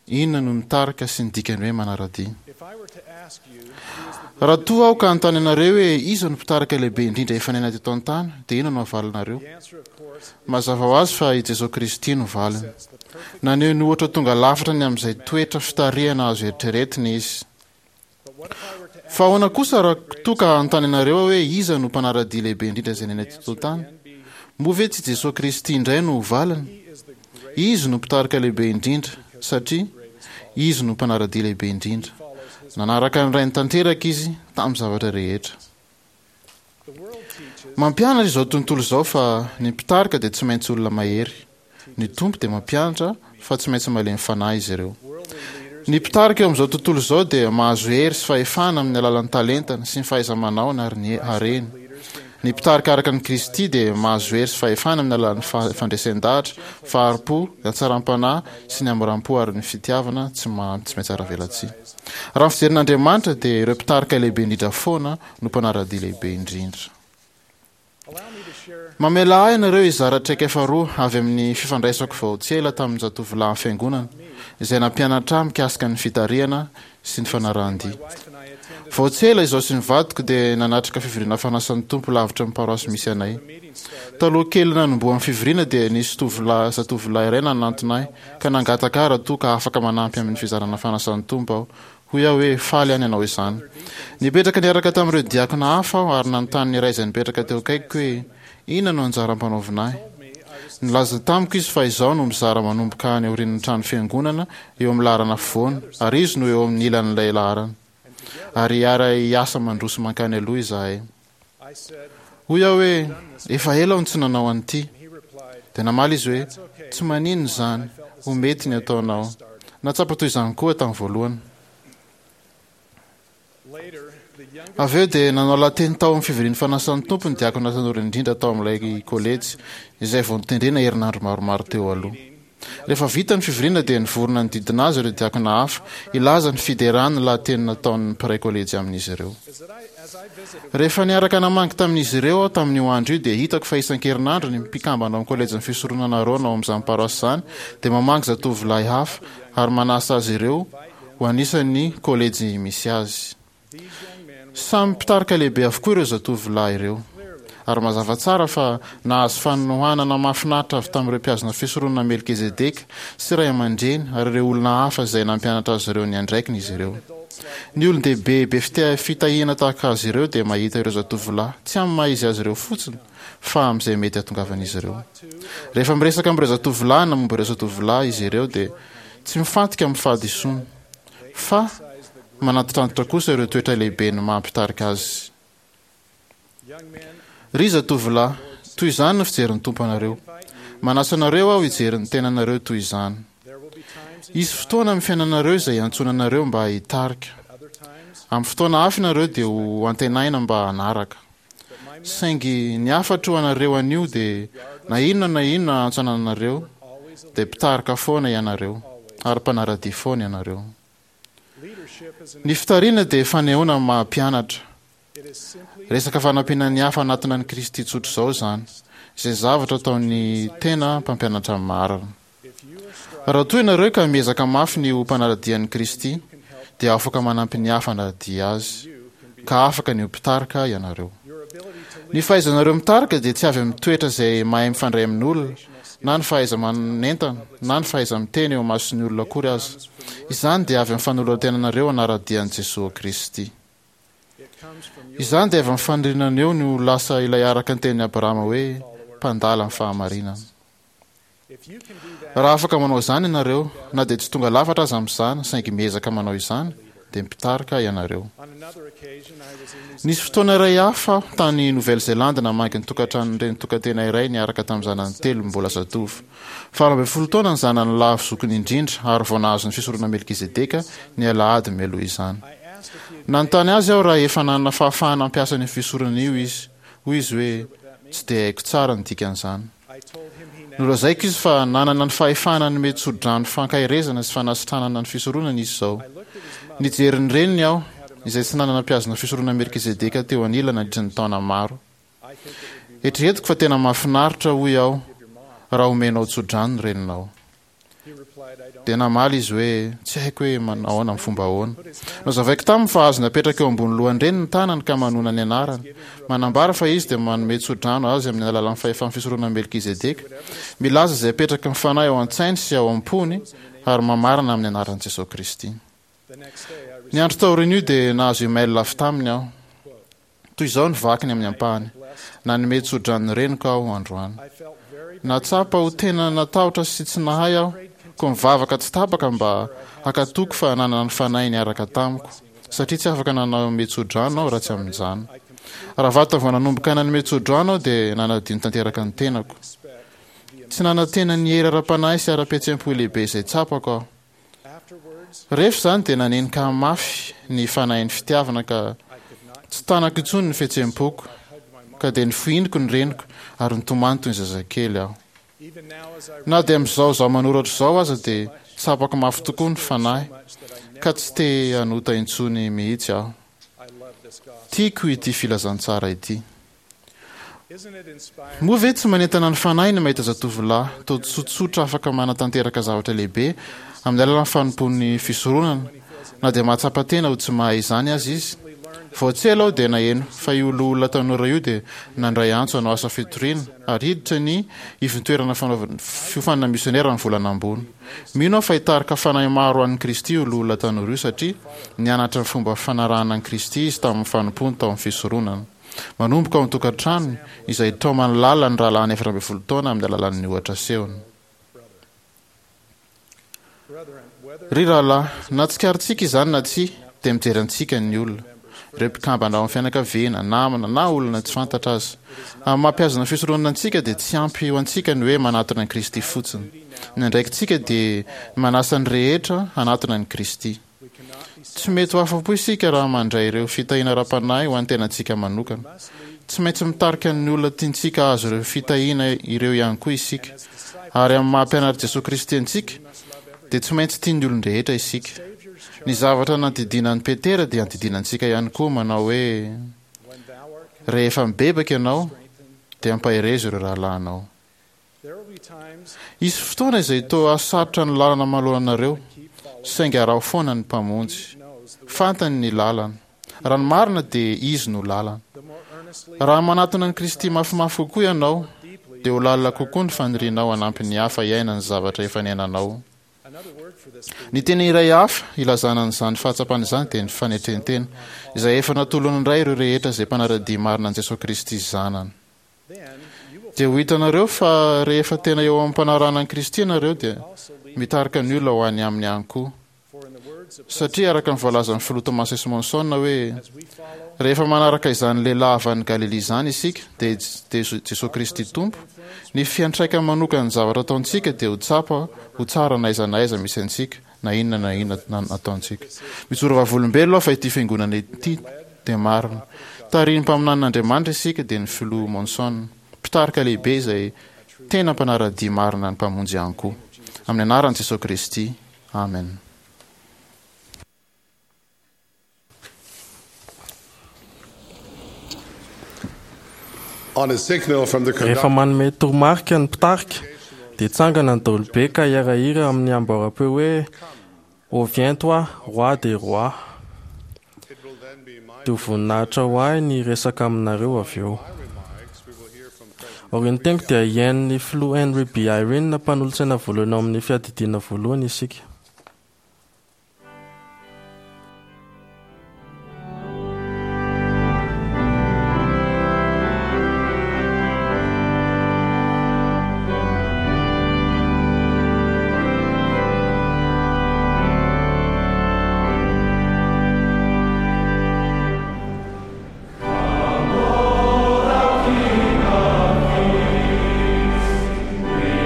inona no mitarika sy ny dikany hoe manara-dia. Raha toa aho ka hanontany anareo hoe iza no mpitarika lehibe indrindra efa niaina teto an-tany, dia inona no havalinareo? Mazava ho azy fa i Jesoa Kristy no valiny. Naneho ny ohatra tonga lafatra ny amin'izay toetra fitarihana azo eritreretina izy. Fa ahoana kosa raha toa ka hanontany anareo aho hoe iza no mpanara-dia lehibe indrindra izay niaina teto an-tany? Moa ve tsy Jesoa Kristy indray no ho valiny? Izy no mpitarika lehibe indrindra, satria Izy no mpanara-dia lehibe indrindra. Nanaraka ny Rainy tanteraka Izy tamin'ny zavatra rehetra. Mampianatra izao tontolo izao fa ny mpitarika dia tsy maintsy olona mahery. Ny Tompo dia mampianatra fa tsy maintsy malemy fanahy izy ireo. Ny mpitarika eo amin'izao tontolo izao dia mahazo hery sy fahefana amin'ny alalan'ny talentany sy ny fahaiza-manaony ary ny hareny. Ny mpitarika araka an'i Kristy dia mahazo hery sy fahefana amin'ny alalan'ny fandresen-dahatra, fahari-po, ny hatsaram-panahy sy ny hamoram-po ary ny fitiavana tsy tsy mihatsaravelatsihy. Raha ny fijerin'Andriamanitra dia ireo mpitarika lehibe indrindra foana no mpanara-dia lehibe indrindra. Mamelà ahy ianareo hizara traikefa roa avy amin'ny fifandraisako vao tsy ela tamin'ny zatovolahin'ny Fiangonana izay nampianatra ahy mikasika ny fitarihana sy ny fanarahan-dia. Vao tsy ela izaho sy ny vadiko dia nanatrika fivoriana fanasan'ny Tompo lavitra ny paroasy misy anay. Taloha kely nanombohan'ny fivoriana dia nisy tovolahy zatovolahy iray nanantona ahy ka nangataka ahy raha toa ka afaka manampy amin'ny fizarana fanasan'ny Tompo aho. Hoy aho hoe, Faly aho ny hanao izany. Nipetraka niaraka tamin'ireo diakona hafa aho ary nanontany ny iray izay nipetraka teo akaikiko hoe, Inona no anjara ampanaovina ahy? Nilaza tamiko izy fa izaho no mizara manomboka any aorian'ny trano fiangonana eo amin'ny laharana afovoany, ary izy no eo amin'ny ilan'ilay laharana. Ary hiara-hiasa mandroso mankany aloha izahay. Hoy aho hoe, efa ela aho no tsy nanao an'ity. Dia namaly izy hoe, tsy maninona izany, ho mety ny ataonao. Nahatsapa toy izany koa tamin'ny voalohany. Avy eo dia nanao lahateny tao amin'ny fivorian'ny fanasan'ny Tompo ny diakona tanora indrindra tao amin'ilay kolejy, izay vao notendrena herinandro maromaro teo aloha. Rehefa vita ny fivoriana dia nivory nanodidina azy ireo diakona hafa hilaza ny fiderany ny lahateny nataon'ny mpiray kolejy amin'izy ireo. Rehefa niaraka namangy tamin'izy ireo aho tamin'io andro io dia hitako fa isan-kerinandro ny mpikambana ao amin'ny kolejin'ny fisoronana Arona ao amin'izany paroasy izany dia mamangy zatovolahy hafa ary manasa azy ireo ho anisan'ny kolejy misy azy. Samy mpitarika lehibe avokoa ireo zatovolahy ireo. Ary mazava tsara fa nahazo fanohanana mahafinaritra avy tamin'ireo mpihazona fisoronana Melkizedeka sy ray aman-dreny ary ireo olona hafa izay nampianatra azy ireo ny andraikiny izy ireo. Ny olon-dehibe be fitahiana tahaka azy ireo dia mahita ireo zatovolahy tsy amin'ny maha izy azy ireo fotsiny fa amin'izay mety hahatongavan'izy ireo. Rehefa miresaka amin'ireo zatovolahy na momba ireo zatovolahy izy ireo dia tsy mifantoka amin'ny fahadisoana fa manantitrantitra kosa ireo toetra lehibe ny maha mpitarika azy. Ry zatovolahy, toy izany no fijerin'ny Tompo anareo. Manasa anareo aho hijery ny tenanareo toy izany. Hisy fotoana amin'ny fiainanareo izay iantsoana anareo mba hitarika. Amin'ny fotoana hafa ianareo dia ho antenaina mba hanaraka. Saingy ny hafatro ho anareo anio dia na inona na inona antso anananareo dia mpitarika foana ianareo ary mpanara-dia foana ianareo. Ny fitarihana dia fanehoana ny maha mpianatra. Resaka fanampiana ny hafa hanatona an'i Kristy tsotra izao izany, izay zavatra ataon'ny tena mpampianatra marina. Raha toa ianareo ka miezaka mafy ny ho mpanara-dia an'i Kristy, dia afaka manampy ny hafa hanara-dia azy, ka afaka ny ho mpitarika ianareo. Ny fahaizanareo mitarika dia tsy avy amin'ny toetra izay mahay mifandray amin'olona, na ny fahaiza-manentana, na ny fahaiza-miteny eo imason'ny olona akory aza. Izany dia avy amin'ny fanoloran-tenanareo hanara-dia an'i Jesoa Kristy. Izany dia avy amin'ny faniriananeo ny ho lasa ilay araka ny tenin'i Abrahama hoe mpandala ny fahamarinana. Raha afaka manao izany ianareo, na dia tsy tonga lafatra aza amin'izany, saingy miezaka manao izany, dia mpitarika ianareo. Nisy fotoana iray hafa aho tany Nouvelle-Zélande namangy ny tokantranon'ny reny tokantena iray niaraka tamin'ny zanany telo mbola zatovo. Valo ambin'ny folo taona ny zanany lahy zokiny indrindra ary vao nahazo ny fisoronana Melkizedeka ny alahady mialoha izany. Nanontany azy aho raha efa nanana fahafahana hampiasa an'io fisoronana io izy. Hoy izy hoe, Tsy dia haiko tsara ny dikan'izany. Nolazaiko izy fa nanana ny fahefana hanome tsodrano fankaherezana sy fanasitranana ny fisoronana izy izao. Nijery ny reniny aho, izay tsy nanana mpihazona fisoronana Melkizedeka teo anilany nandritra ny taona maro. Eritreretiko fa tena mahafinaritra, hoy aho, raha omenao tsodrano ny reninao. Dia namaly izy hoe, Tsy haiko hoe manao ahoana amin'ny fomba ahoana. Nozavaiko taminy fa azony apetraka eo ambony lohan-dreniny ny tanany ka manona ny anarany. Manambara fa izy dia manome tsodrano azy amin'ny alalan'ny fahefan'ny fisoronan'i Melkizedeka, milaza izay apetraky ny Fanahy ao an-tsainy sy ao am-pony ary mamarana amin'ny anaran'i Jesoa Kristy. Ny andro taorian'io dia nahazo email avy taminy aho. Toy izao ny vakiny amin'ny ampahany, Nanome tso-drano ny reniko aho androany. Nahatsapa ho tena natahotra sy tsy nahay aho, koa nivavaka tsy tapaka mba hankatoky fa nanana ny Fanahy niaraka tamiko, satria tsy afaka nanome tso-drano aho raha tsy amin'izany. Raha vantany vao nanomboka nanome tso-drano aho dia nanadino tanteraka ny tenako. Tsy nanantena ny hery ara-panahy sy ara-pihetseham-po lehibe izay tsapako aho. Rehefa izany dia nanenika mafy ny fanahin'ny fitiavana ka tsy tanako intsony ny fihetseham-poko, ka dia nofohiniko ny reniko ary nitomany toy ny zazakely aho. Na dia amin'izao izaho manoratra izao aza dia tsapako mafy tokoa ny fanahy ka tsy te hanota intsony mihitsy aho. Tiako ity filazantsara ity. Moa ve tsy manentana ny fanahy ny mahita zatovolahy toa tsotsotra afaka manatanteraka zavatra lehibe amin'ny alalan'ny fanompoan'ny fisoronana, na dia mahatsapa tena ho tsy mahay izany aza izy? Vao tsy ela aho dia naheno fa io loholona tanora io dia nandray antso hanao asa fitoriana ary hiditra ny ivontoerana fanaovana fiofanana misionera amin'ny volana ambony. Mino aho fa hitarika fanahy maro ho an'i Kristy io loholona tanora io satria nianatra ny fomba fanarahana an'i Kristy izy tamin'ny fanompoany tao amin'ny fisoronana. Manomboka ao an-tokantranony izay taomany lalina ny rahalahiny efatra ambin'ny folo taona amin'ny alalan'ny ohatra asehony. Ry rahalahy, na tsikaritsika izany na tsia, dia mijery antsika ny olona. Ireo mpikambana ao amin'ny fianakaviana, namana na olona tsy fantatra aza. Amin'ny maha mpihazona fisoronana antsika dia tsy ampy ho antsika ny hoe manatona an'i Kristy fotsiny. Ny andraikitsika dia ny manasa ny rehetra hanatona an'i Kristy. Tsy mety ho afa-po isika raha mandray ireo fitahiana ara-panahy ho an'ny tenantsika manokana. Tsy maintsy mitarika ny olona tiantsika hahazo ireo fitahiana ireo ihany koa isika. Ary amin'ny maha mpianatr'i Jesoa Kristy antsika dia tsy maintsy tian'ny olon-drehetra isika. Ny zavatra nandidiana an'i Petera dia andidiana antsika ihany koa manao hoe, Rehefa mibebaka ianao dia ampaherezo ireo rahalahinao. Hisy fotoana izay toa hahasarotra ny lalana manoloana anareo, saingy araho foana ny Mpamonjy. Fantany ny lalana. Raha ny marina dia Izy no lalana. Raha manatona an'i Kristy mafimafy kokoa ianao, dia ho lalina kokoa ny fanirianao hanampy ny hafa hiaina ny zavatra efa niainanao. Ny teny iray hafa ilazana an'izany fahatsapana izany dia ny fanetren-tena, izay efa natolon'ny Ray ireo rehetra izay mpanara-dia marina an'i Jesoa Kristy Zanany. Dia ho hitanareo fa rehefa tena eo am-panarahana an'i Kristy ianareo dia mitarika ny olona ho any aminy ihany koa. Satria araka ny voalazan'ny filoha Thomas S. Monson hoe, Rehefa manaraka izany lehilahy avy any Galilia izany isika, dia Jesoa Kristy Tompo, ny fiantraikany manokan'ny zavatra ataontsika dia ho tsapa ho tsara na aiza na aiza misy antsika, na inona na inona ataontsika. Mijoro vavolombelona aho fa ity fiangonana ity dia marina. Tarihin'ny mpaminanin'Andriamanitra isika, dia ny filoha Monson, mpitarika lehibe izay tena mpanara-dia marina ny Mpamonjy ihany koa. Amin'ny anaran'i Jesoa Kristy, amen. On a signal from the Rehefa conductor, manome toromarika ny mpitarika dia tsangana ny daholobe ka hiara-hira amin'ny amboaram-peo hoe Ô viens toi, roi des rois. it will then be my Dia ho voninahitra ho ahy ny resaka aminareo avy eo. remarks. We will hear from President Aorian'ny teniko dia hihaino ny filoha Henry B. Eyring mpanolotsaina voalohany ao amin'ny fiadidiana voalohany isika.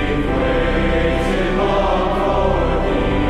King of Kings, we wait in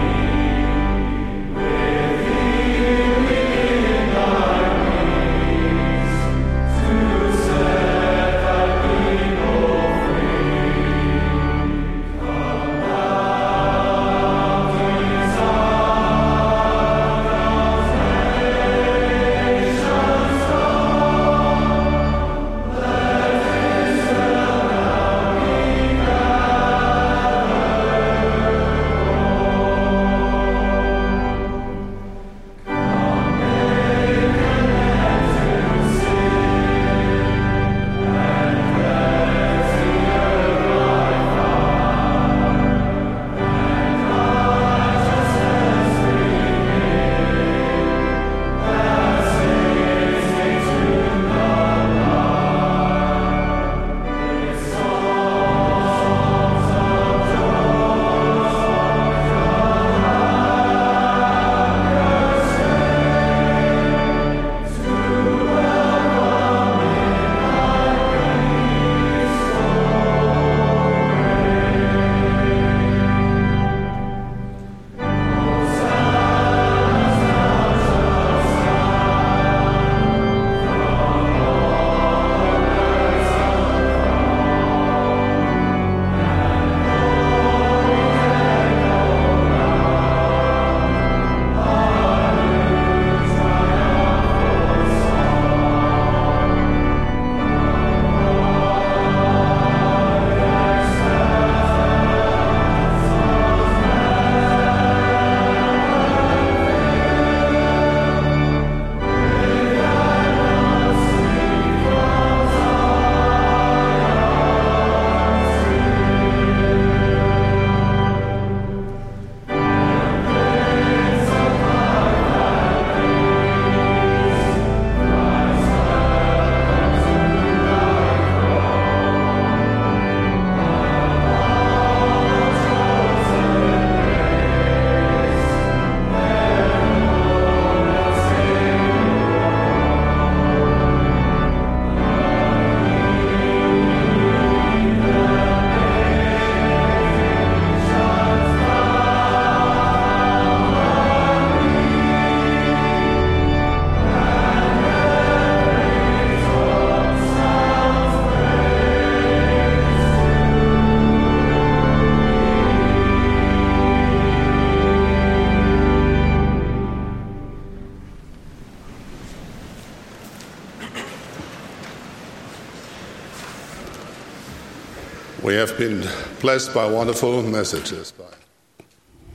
have been blessed by wonderful messages by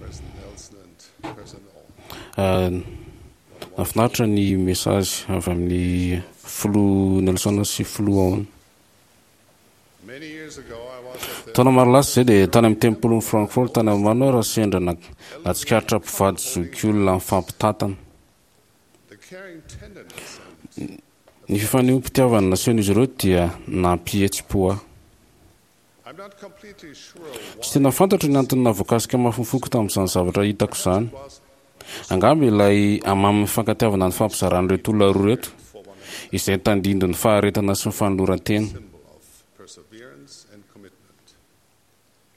President Nelson and President Owen. Nahafinaritra ny message avy amin'ny filoha Nelson sy filoha Owen. Many years ago, I was at the Taona maro lasa izay dia tany amin'ny tempolin'i Frankfurt tany Allemagne raha sendra na- nahatsikaritra mpivady zokiolona mifampitantana. the caring tenderness and Ny fifanehoam-pitiavana nasehon'izy ireo dia nampihetsi-po ahy. I'm not completely sure Tsy tena fantatro ny antony nahavoakasika mafy ny foko tamin'izany zavatra hitako izany. was Angamba ilay hamamin'ny fifankatiavana ny fampizaran'ireto olona roa ireto, izay tandindon'ny faharetana sy ny fanoloran-tena. symbol of perseverance and commitment.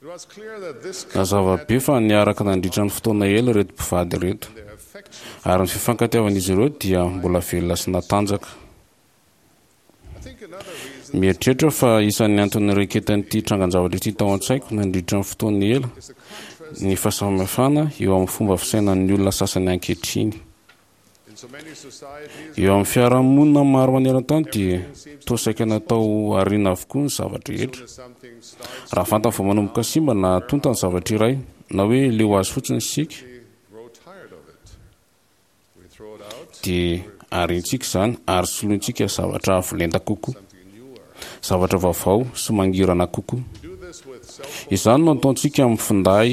It was clear that this couple Nazava had be fa niaraka nandritra ny fotoana ela ireto mpivady ireto, their affection. ary ny fifankatiavan'izy ireo dia mbola velona sy natanjaka. I think another reason Mieritreritra fa isan'ny antony nireketan'ity trangan-javatra ity tao an-tsaiko nandritra ny fotoana ela is the contrast ny fahasamihafana eo amin'ny fomba fisainan'ny olona sasany ankehitriny. in so many societies. Eo amin'ny fiarahamonina maro maneran-tany dia toa saika natao ariana avokoa ny zavatra rehetra. As something starts Raha vantany vao manomboka simba na tonta ny zavatra iray, na hoe leo azy fotsiny isika, we grow tired of it. We throw it out, dia ariantsika izany ary solointsika zavatra avo lenta kokoa, something newer. zavatra vaovao sy mangirana kokoa. We do this with cell phones, Izany no ataontsika amin'ny finday,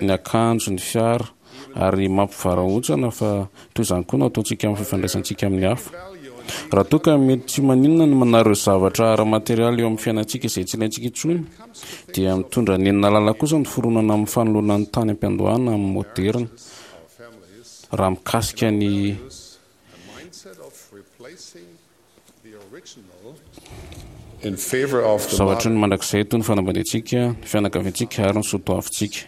ny akanjo, ny fiara, ary mampivarahontsana fa toy izany koa no ataontsika amin'ny fifandraisantsika amin'ny hafa. value and Raha toa ka mety tsy maninona ny manary ireo zavatra ara-materialy eo amin'ny fiainantsika izay tsy ilaintsika intsony, dia mitondra nenina lalina kosa ny fironana amin'ny fanoloana ny tany am-piandohana amin'ny moderna. our families Raha mikasika ny use a mindset of replacing the original in favor of the zavatra modern. ny mandrakizay toy ny fanambadiantsika, ny fianakaviantsika ary ny soatoavintsika.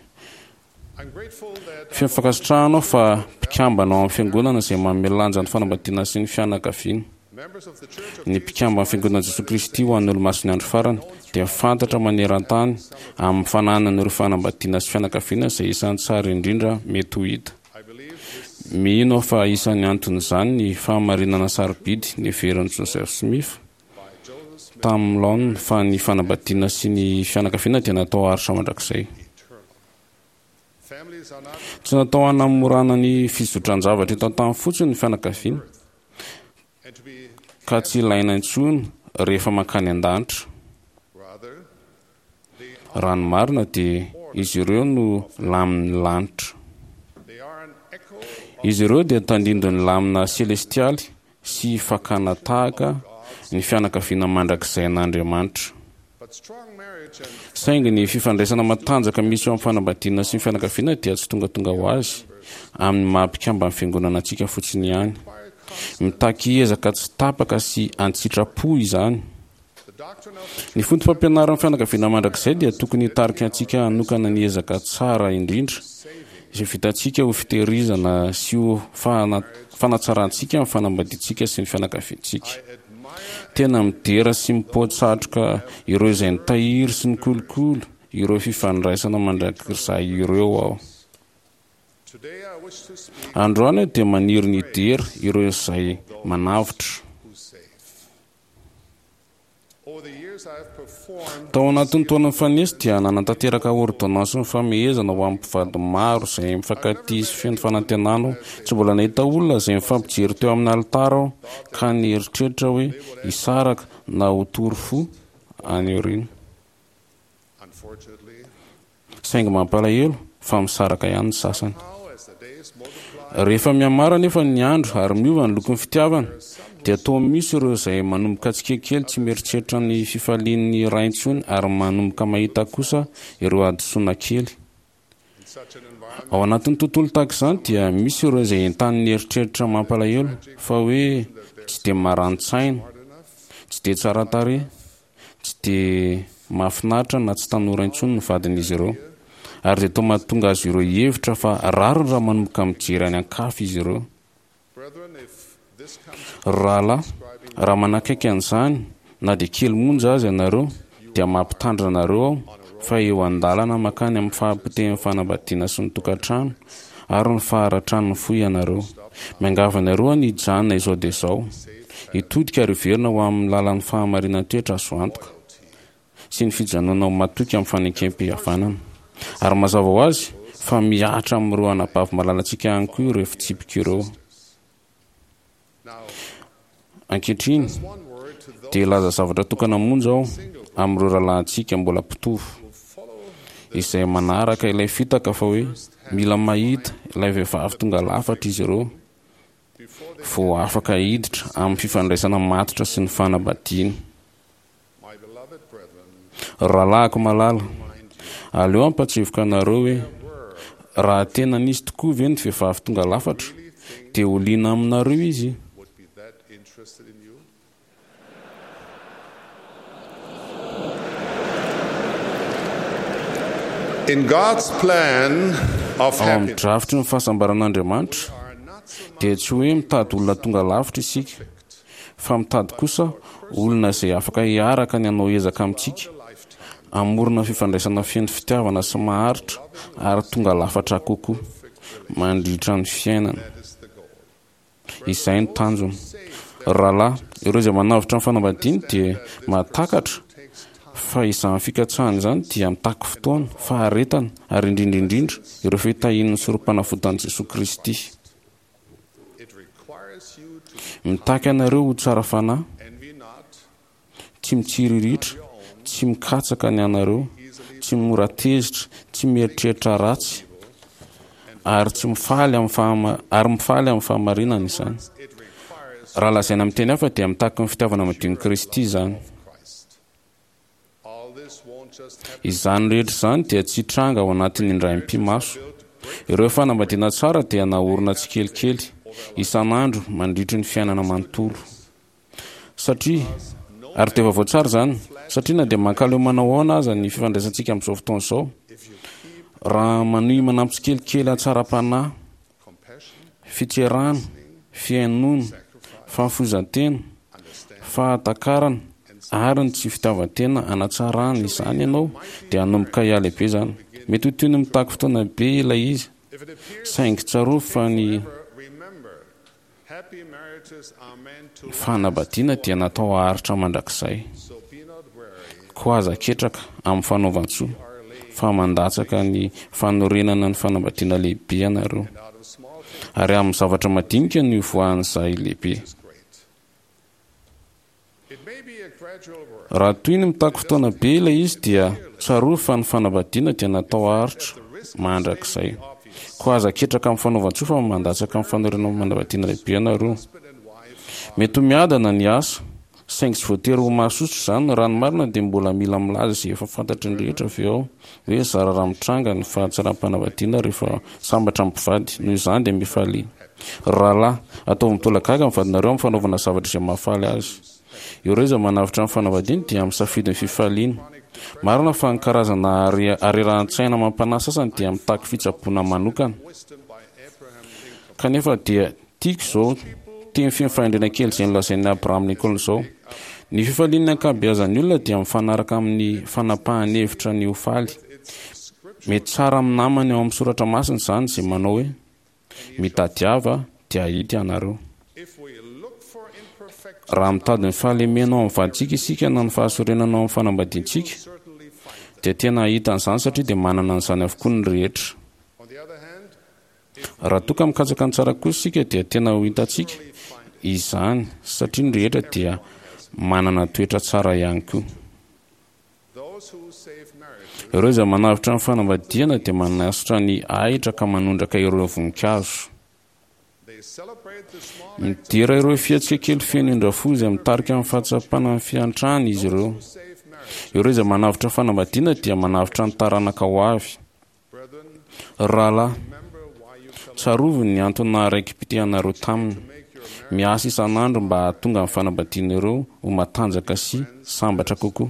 I'm grateful that Feno fankasitrahana aho fa mpikambana ao amin'ny fiangonana izay manome lanja ny fanambadiana sy ny fianakaviana. members of the Church of Ny mpikambana fiangonana Jesoa Kristy ho an'ny olomasin'ny andro farany dia fantatra maneran-tany amin'ny fananana ireo fanambadiana sy fianakaviana izay isan'ny tsara indrindra mety ho hita. I believe this Mino aho fa isan'ny anton'izany ny fahamarinana sarobidy neverin'i Joseph Smith by Joseph Smith tamin'ny laoniny fa ny fanambadiana sy ny fianakaviana dia natao haharitra mandrakizay. eternal. Families are not Tsy natao hanamorana ny fizotran-javatra eto an-tany fotsiny ny fianakaviana and to be ka tsy ilaina intsony rehefa mankany an-danitra. rather they Raha ny marina dia izy ireo no lamin'ny lanitra. they are an echo of Izy ireo dia tandindon'ny lamina selestialy sy fakana tahaka ny fianakaviana mandrakizay an'Andriamanitra. but strong marriage and Saingy ny fifandraisana matanjaka misy eo amin'ny fanambadiana sy ny fianakaviana dia tsy tongatonga ho azy amin'ny maha mpikambana ny fiangonana antsika fotsiny ihany. require constant Mitaky ezaka tsy tapaka sy an-tsitrapo izany. the doctrine of Ny foto-pampianaran'ny fianakaviana mandrakizay dia tokony hitarika antsika hanokana ny ezaka tsara indrindra izay vitantsika ho fitehirizana sy ho fana- fanatsarantsika ny fanambadiantsika sy ny fianakaviantsika. I admire Tena midera sy mipoa-tsatroka ireo izay nitahiry sy nikolokolo ireo fifandraisana mandrakizay ireo aho. today I wish to speak Androany aho dia maniry ny hidera ireo izay manavotra. who save. Over the years I have performed Tao anatin'ny taona nifanesy dia nanatanteraka ordonnance ny famehezana ho amin'ny mpivady maro izay mifankatia sy feno fanantenana aho. Tsy mbola nahita olona izay mifampijery teo amin'ny alitara aho ka nieritreritra hoe hisaraka na ho tory fo any aoriana. unfortunately Saingy mampalahelo fa misaraka ihany ny sasany. how as the days multiply Rehefa mihamaro anefa ny andro ary miova ny lokon'ny fitiavana dia toa misy ireo izay manomboka tsikelikely tsy mieritreritra ny fifalian'ny ray intsony ary manomboka mahita kosa ireo hadisoana kely. in such an environment Ao anatin'ny tontolo tahaka izany dia misy ireo izay entanin'ny eritreritra mampalahelo fa hoe tsy dia maran-tsaina, hard enough tsy dia tsara tarehy, tsy dia mahafinaritra na tsy tanora intsony ny vadin'izy ireo. Ary dia toa mahatonga azy ireo hihevitra fa rariny raha manomboka mijery any an-kafa izy ireo. brethren if this comes Rahalahy, raha manakaiky an'izany na dia kely monja aza ianareo dia mampitandrina anareo aho fa eo an-dalana mankany amin'ny fahapotehan'ny fanambadiana sy ny tokantrano ary ny faharatran'ny fo ianareo. Miangavy anareo aho ny hijanona izao dia izao. Hitodika ary hiverina ho amin'ny lalan'ny fahamarinan-toetra azo antoka. sy ny fijanonana ho matoky amin'ny fanekem-pihavanana. Ary mazava ho azy fa mihatra amin'ireo anabavy malalantsika ihany koa ireo fitsipika ireo. Ankehitriny dia hilaza zavatra tokana monja aho amin'ireo rahalahintsika mbola mpitovo izay manaraka ilay fitaka fa hoe mila mahita ilay vehivavy tonga lafatra izy ireo vao afaka hiditra amin'ny fifandraisana matotra sy ny fanambadiana. Rahalahiko malala, aleo hampatsiahivoka anareo hoe raha tena nisy tokoa ve ny vehivavy tonga lafatra dia ho liana aminareo izy. In God's plan of Ao amin'ny happiness, drafitry ny fahasambaran'Andriamanitra dia tsy hoe mitady olona tonga lavitra isika, fa mitady kosa olona izay afaka hiaraka ny hanao ezaka amintsika, hamorona fifandraisana feno fitiavana sy maharitra ary tonga lafatra kokoa mandritra ny fiainana. Izay no tanjona. Rahalahy, ireo izay manavotra ny fanambadiany dia mahatakatra fa izany fikatsahana izany dia mitaky fotoana, faharetana ary indrindra indrindra ireo fitahian'ny sorom-panavotan'i Jesoa Kristy. it requires you to Mitaky anareo ho tsara fanahy, envy not, tsy mitsiriritra, tsy mikatsaka ny anareo, tsy mora tezitra, tsy mieritreritra ratsy, ary tsy mifaly amin'ny fahama-, ary mifaly amin'ny fahamarinana izany. it requires Raha lazaina amin'ny teny hafa dia mitaky ny fitiavana madion'i Kristy izany. Christ. All this won't just happen. Izany rehetra izany dia tsy hitranga ao anatin'ny indray mipi-maso. Ireo fanambadiana tsara dia naorina tsikelikely isan'andro mandritry ny fiainana manontolo. Satria ary dia vaovao tsara izany, satria na dia mankaleo manao ahoana aza ny fifandraisantsika amin'izao fotoana izao, raha manohy manampy tsikelikely hatsaram-panahy, fitserana, fihainoana, fahafoizan-tena, fahatakarana ary ny tsy fitiavan-tena hanatsarana izany ianao, dia hanomboka hialehibe izany. Mety ho toy ny mitaky fotoana be ilay izy, If it appears saingy tsarovy fa ny remember, happy marriages are meant to fanambadiana dia natao haharitra mandrakizay. so be not weary. Koa aza ketraka amin'ny fanaovan-tsoa, fa mandatsaka ny fanorenana ny fanambadiana lehibe ianareo. Out of small things Ary amin'ny zavatra madinika no ivoahan'izay lehibe. is great. It may be a gradual work. Raha toy ny mitaky fotoana be ilay izy dia tsarovy fa ny fanambadiana dia natao haharitra mandrakizay. Koa aza ketraka amin'ny fanaovan-tsoa fa mandatsaka amin'ny fanorenana ny fanambadiana lehibe ianareo. Husband and wife Mety ho miadana ny asa, saingy tsy voatery ho mahasosotra izany. Raha ny marina dia mbola mila milaza izay efa fantatry ny rehetra avy ao hoe zara raha mitranga ny fahatsaram-panambadiana rehefa sambatra amin'ny mpivady. Noho izany dia mifalia. Rahalahy, ataovy mitolagaga ny vadinareo amin'ny fanaovana zavatra izay mahafaly azy. Ireo izay manavotra ny fanambadiany dia misafidy ny fifaliana. Marina fa ny karazana are- arerahan-tsaina mampanahy sasany dia mitaky fitsaboana manokana. wisdom by Abraham Lincoln. Kanefa dia tiako izao teny feno fahendrena kely izay nolazain'i Abraham Lincoln izao. Ny fifalian'ny ankabeazan'ny olona dia mifanaraka amin'ny fanapahan-hevitra ny ho faly. Mety tsara amin'ny namany ao amin'ny soratra masina izany izay manao hoe mitadiava dia hahita ianareo. If we look for imperfection, Raha mitady ny fahalemena ao amin'ny vadintsika isika na ny fahasorenana ao amin'ny fanambadiantsika, certainly find. dia tena hahita an'izany satria dia manana an'izany avokoa ny rehetra. On the other hand, Raha toa ka mikatsaka ny tsara kosa isika dia tena ho hitantsika izany satria ny rehetra dia manana toetra tsara ihany koa. those who save marriages Ireo izay manavotra ny fanambadiana dia manasotra ny ahitra ka manondraka ireo voninkazo. They celebrate the small Midera ireo fihetsika kely feno indra-fo izay mitarika amin'ny fahatsapana ny fiantrana izy ireo. save marriage. Ireo izay manavotra fanambadiana dia manavotra ny taranaka ho avy. Brethren, Rahalahy, remember why you fell tsarovy ny antony naharaiki-pitianareo taminy. make your marriage Miasa isan'andro mba hahatonga ny fanambadiana ireo ho matanjaka sy sambatra kokoa.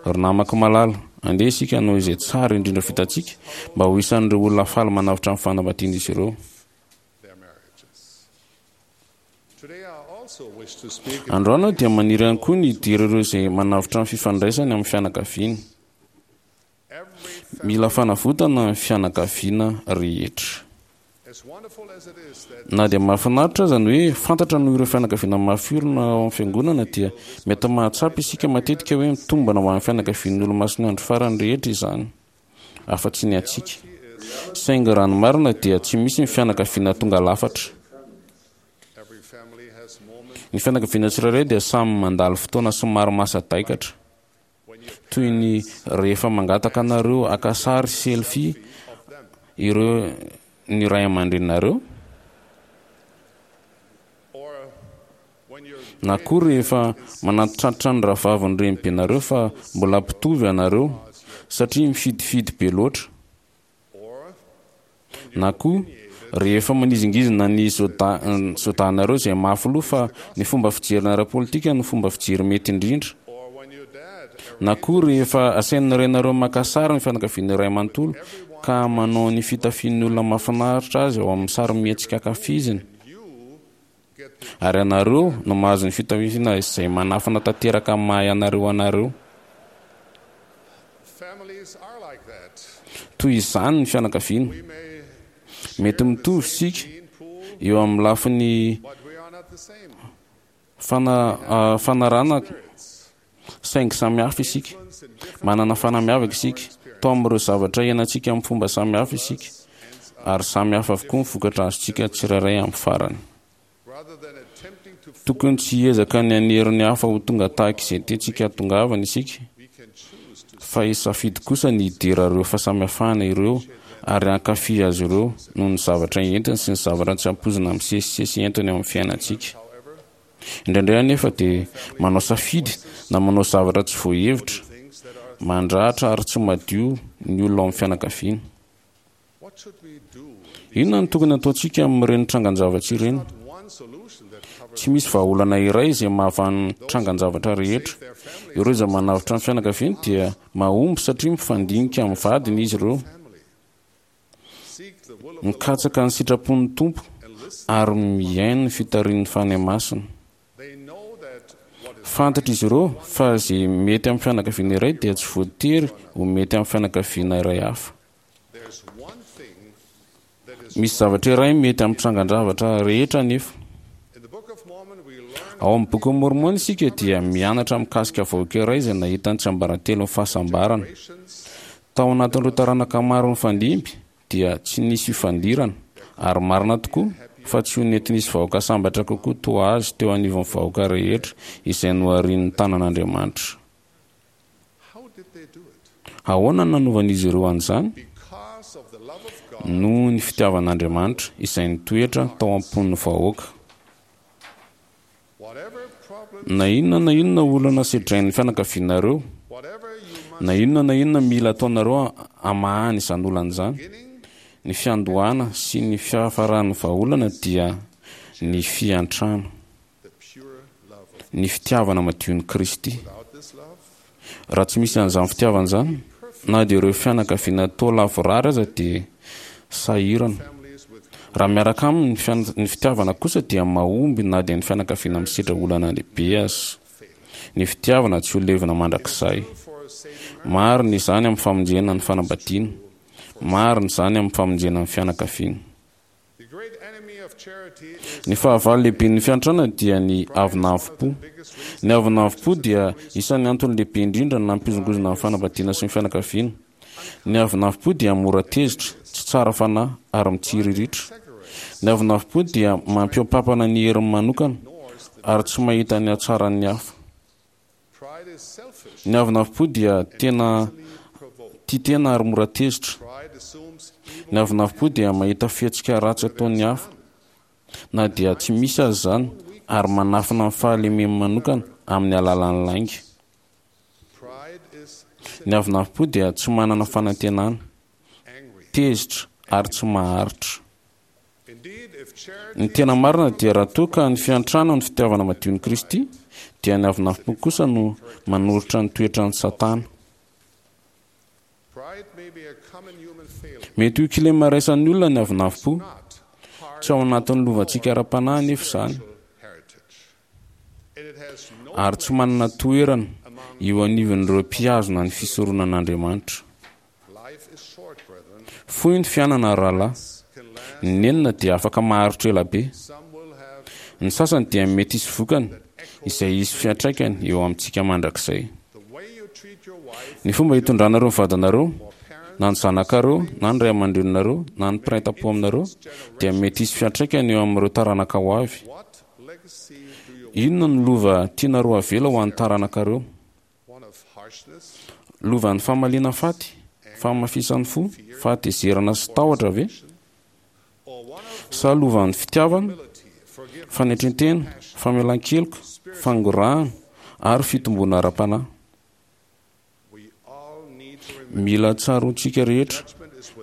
Ry namako malala, andeha isika hanao izay tsara indrindra vitantsika mba ho isan'ireo olona faly manavotra ny fanambadian'izy ireo. their marriages. Today I also wish to speak Androany aho dia maniry ihany koa ny hidira ireo izay manavotra ny fifandraisany amin'ny fianakaviana. every Mila fanavotana ny fianakaviana rehetra. as Na dia mahafinaritra aza ny hoe fantatra noho ireo fianakaviana mafy orina ao amin'ny fiangonana, dia mety mahatsapa isika matetika hoe mitombina ho an'ny fianakavian'ny Olomasin'ny Andro Farany rehetra izany, afa-tsy ny antsika. Saingy raha ny marina dia tsy misy ny fianakaviana tonga lafatra. Ny fianakaviana tsirairay dia samy mandalo fotoana somary mahasadaikatra, toy ny rehefa mangataka anareo haka sary selfie ireo ny ray aman-dreninareo, na koa rehefa manantitrantitra ny rahavavin'ny renibenareo fa mbola mpitovy ianareo satria mifidifidy be loatra, na koa rehefa manizingizina ny zodanareo izay mafy loha fa ny fomba fijerina ara-politika no fomba fijery mety indrindra, na koa rehefa asain'ny rainareo maka sary ny fianakaviana iray manontolo ka manao ny fitafian'ny olona mahafinaritra azy ao amin'ny sary mihetsika ankafiziny, ary ianareo no mahazo ny fitafiana izay manafina tanteraka amin'ny maha ianareo anareo. Toy izany ny fianakaviana. Mety mitovy isika eo amin'ny lafiny fana, fanarana, saingy samy hafa isika. Manana fanahy miavaka isika. Tao amin'ireo zavatra iainantsika amin'ny fomba samy hafa isika, ary samy hafa avokoa ny vokatra azontsika tsirairay amin'ny farany. Tokony tsy hiezaka ny hanery ny hafa ho tonga tahaka izay tiantsika hahatongavana isika, fa hisafidy kosa ny hidera ireo fahasamihafana ireo ary hankafy azy ireo noho ny zavatra entiny sy ny zavatra tsy ampoizina misesisesy entiny eo amin'ny fiainantsika. Indraindray anefa dia manao safidy na manao zavatra tsy voahevitra, mandratra ary tsy madio ny olona ao amin'ny fianakaviana. Inona no tokony hataontsika amin'ireny trangan-javatra ireny? Tsy misy vahaolana iray izay mahavaha ny trangan-javatra rehetra. Ireo izay manavotra ny fianakaviany dia mahomby satria mifandinika amin'ny vadiny izy ireo, mikatsaka ny sitrapon'ny Tompo ary mihaino ny fitarihin'ny Fanahy Masina. Fantatr'izy ireo fa izay mety amin'ny fianakaviana iray dia tsy voatery ho mety amin'ny fianakaviana iray hafa. Misy zavatra iray mety amin'ny trangan-javatra rehetra anefa. Ao amin'ny Bokin'i Môrmôna isika dia mianatra mikasika vahoaka iray izay nahita ny tsiambaratelon'ny fahasambarana. Tao anatin'ireo taranaka maro nifandimby dia tsy nisy fifandirana, ary marina tokoa fa tsy ho nety nisy vahoaka sambatra kokoa toa azy teo anivon'ny vahoaka rehetra izay noharian'ny tanan'Andriamanitra. Ahoana no nanovan'izy ireo an'izany? Noho ny fitiavan'Andriamanitra izay nitoetra tao am-pon'ny vahoaka. Na inona na inona olana sedrain'ny fianakavianareo, na inona na inona mila ataonareo hamahana izany olana izany, ny fiandohana sy ny fiafaran'ny vahaolana dia ny fiantrana, ny fitiavana madion'i Kristy. Raha tsy misy an'izany fitiavana izany, na dia ireo fianakaviana toa lavorary aza dia sahirana. Raha miaraka aminy ny fitiavana kosa dia mahomby na dia ny fianakaviana misedra olana lehibe aza. Ny fitiavana tsy ho levona mandrakizay. Marina izany amin'ny famonjena ny fanambadiana. Marina izany amin'ny famonjena ny fianakaviana. Ny fahavalo lehiben'ny fiantrana dia ny avonavom-po. Ny avonavom-po dia isan'ny antony lehibe indrindra nampihozongozona ny fanambadiana sy ny fianakaviana. Ny avonavom-po dia mora tezitra, tsy tsara fanahy ary mitsiriritra. Ny avonavom-po dia mampihoa-pampana ny heriny manokana ary tsy mahita ny hatsaran'ny hafa. Ny avonavom-po dia tena tia tena ary mora tezitra. Ny avonavom-po dia mahita fihetsika ratsy ataon'ny hafa, na dia tsy misy aza izany, ary manafina ny fahalemeny manokana amin'ny alalan'ny lainga. Ny avonavom-po dia tsy manana fanantenana, tezitra ary tsy maharitra. Ny tena marina dia raha toa ka ny fiantrana ny fitiavana madion'i Kristy, dia ny avonavom-po kosa no manoritra ny toetran'i Satana. Mety ho kilema iraisan'ny olona ny avonavom-po. Tsy ao anatin'ny lovantsika ara-panahy anefa izany, ary tsy manana toerana eo anivon'ireo mpihazona ny fisoronan'Andriamanitra. Fohy ny fiainana, ry rahalahy. Ny nenina dia afaka maharitra ela be. Ny sasany dia mety hisy vokany izay hisy fiantraikany eo amintsika mandrakizay. Ny fomba hitondranareo ny vadinareo, na ny zanakareo, na ny ray aman-dreninareo, na ny mpiray tampo aminareo dia mety hisy fiantraikany eo amin'ireo taranaka ho avy. Inona no lova tianareo avela ho an'ny taranakareo? Lovan'ny famaliana faty, fahamafisan'ny fo, fahatezerana sy tahotra ve? Sa lovan'ny fitiavana, fanetren-tena, famelan-keloka, fangorahana ary fitomboana ara-panahy? Mila tsaroantsika rehetra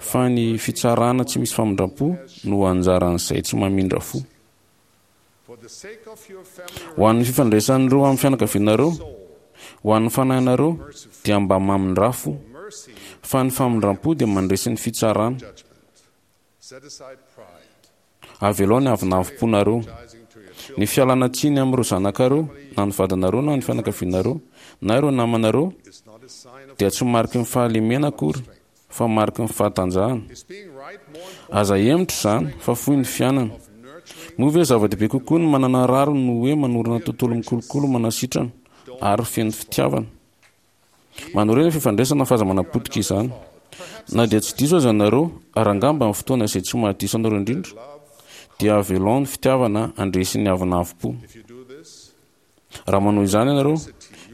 fa ny fitsarana tsy misy famindram-po no anjaran'izay tsy mamindra fo. Ho an'ny fifandraisan'ireo amin'ny fianakavianareo, ho an'ny fanahinareo dia mba mamindrà fo, fa ny famindram-po dia mandresy ny fitsarana. Avelao ny avonavom-ponareo. Ny fialana tsiny amin'ireo zanakareo, na ny vadinareo, na ny fianakavianareo, na ireo namanareo dia tsy mariky ny fahalemena akory, fa mariky ny fahatanjahana. Aza hemotra izany, fa fohy ny fiainana. Moa ve zava-dehibe kokoa ny manana rariny no hoe manorina tontolo mikolokolo manasitrana ary feno fitiavana? Manorina fifandraisana fa aza manapotika izany. Na dia tsy diso aza ianareo, ary angamba amin'ny fotoana izay tsy mahadiso anareo indrindra, dia avelao ny fitiavana handresy ny avonavom-po. Raha manao izany ianareo,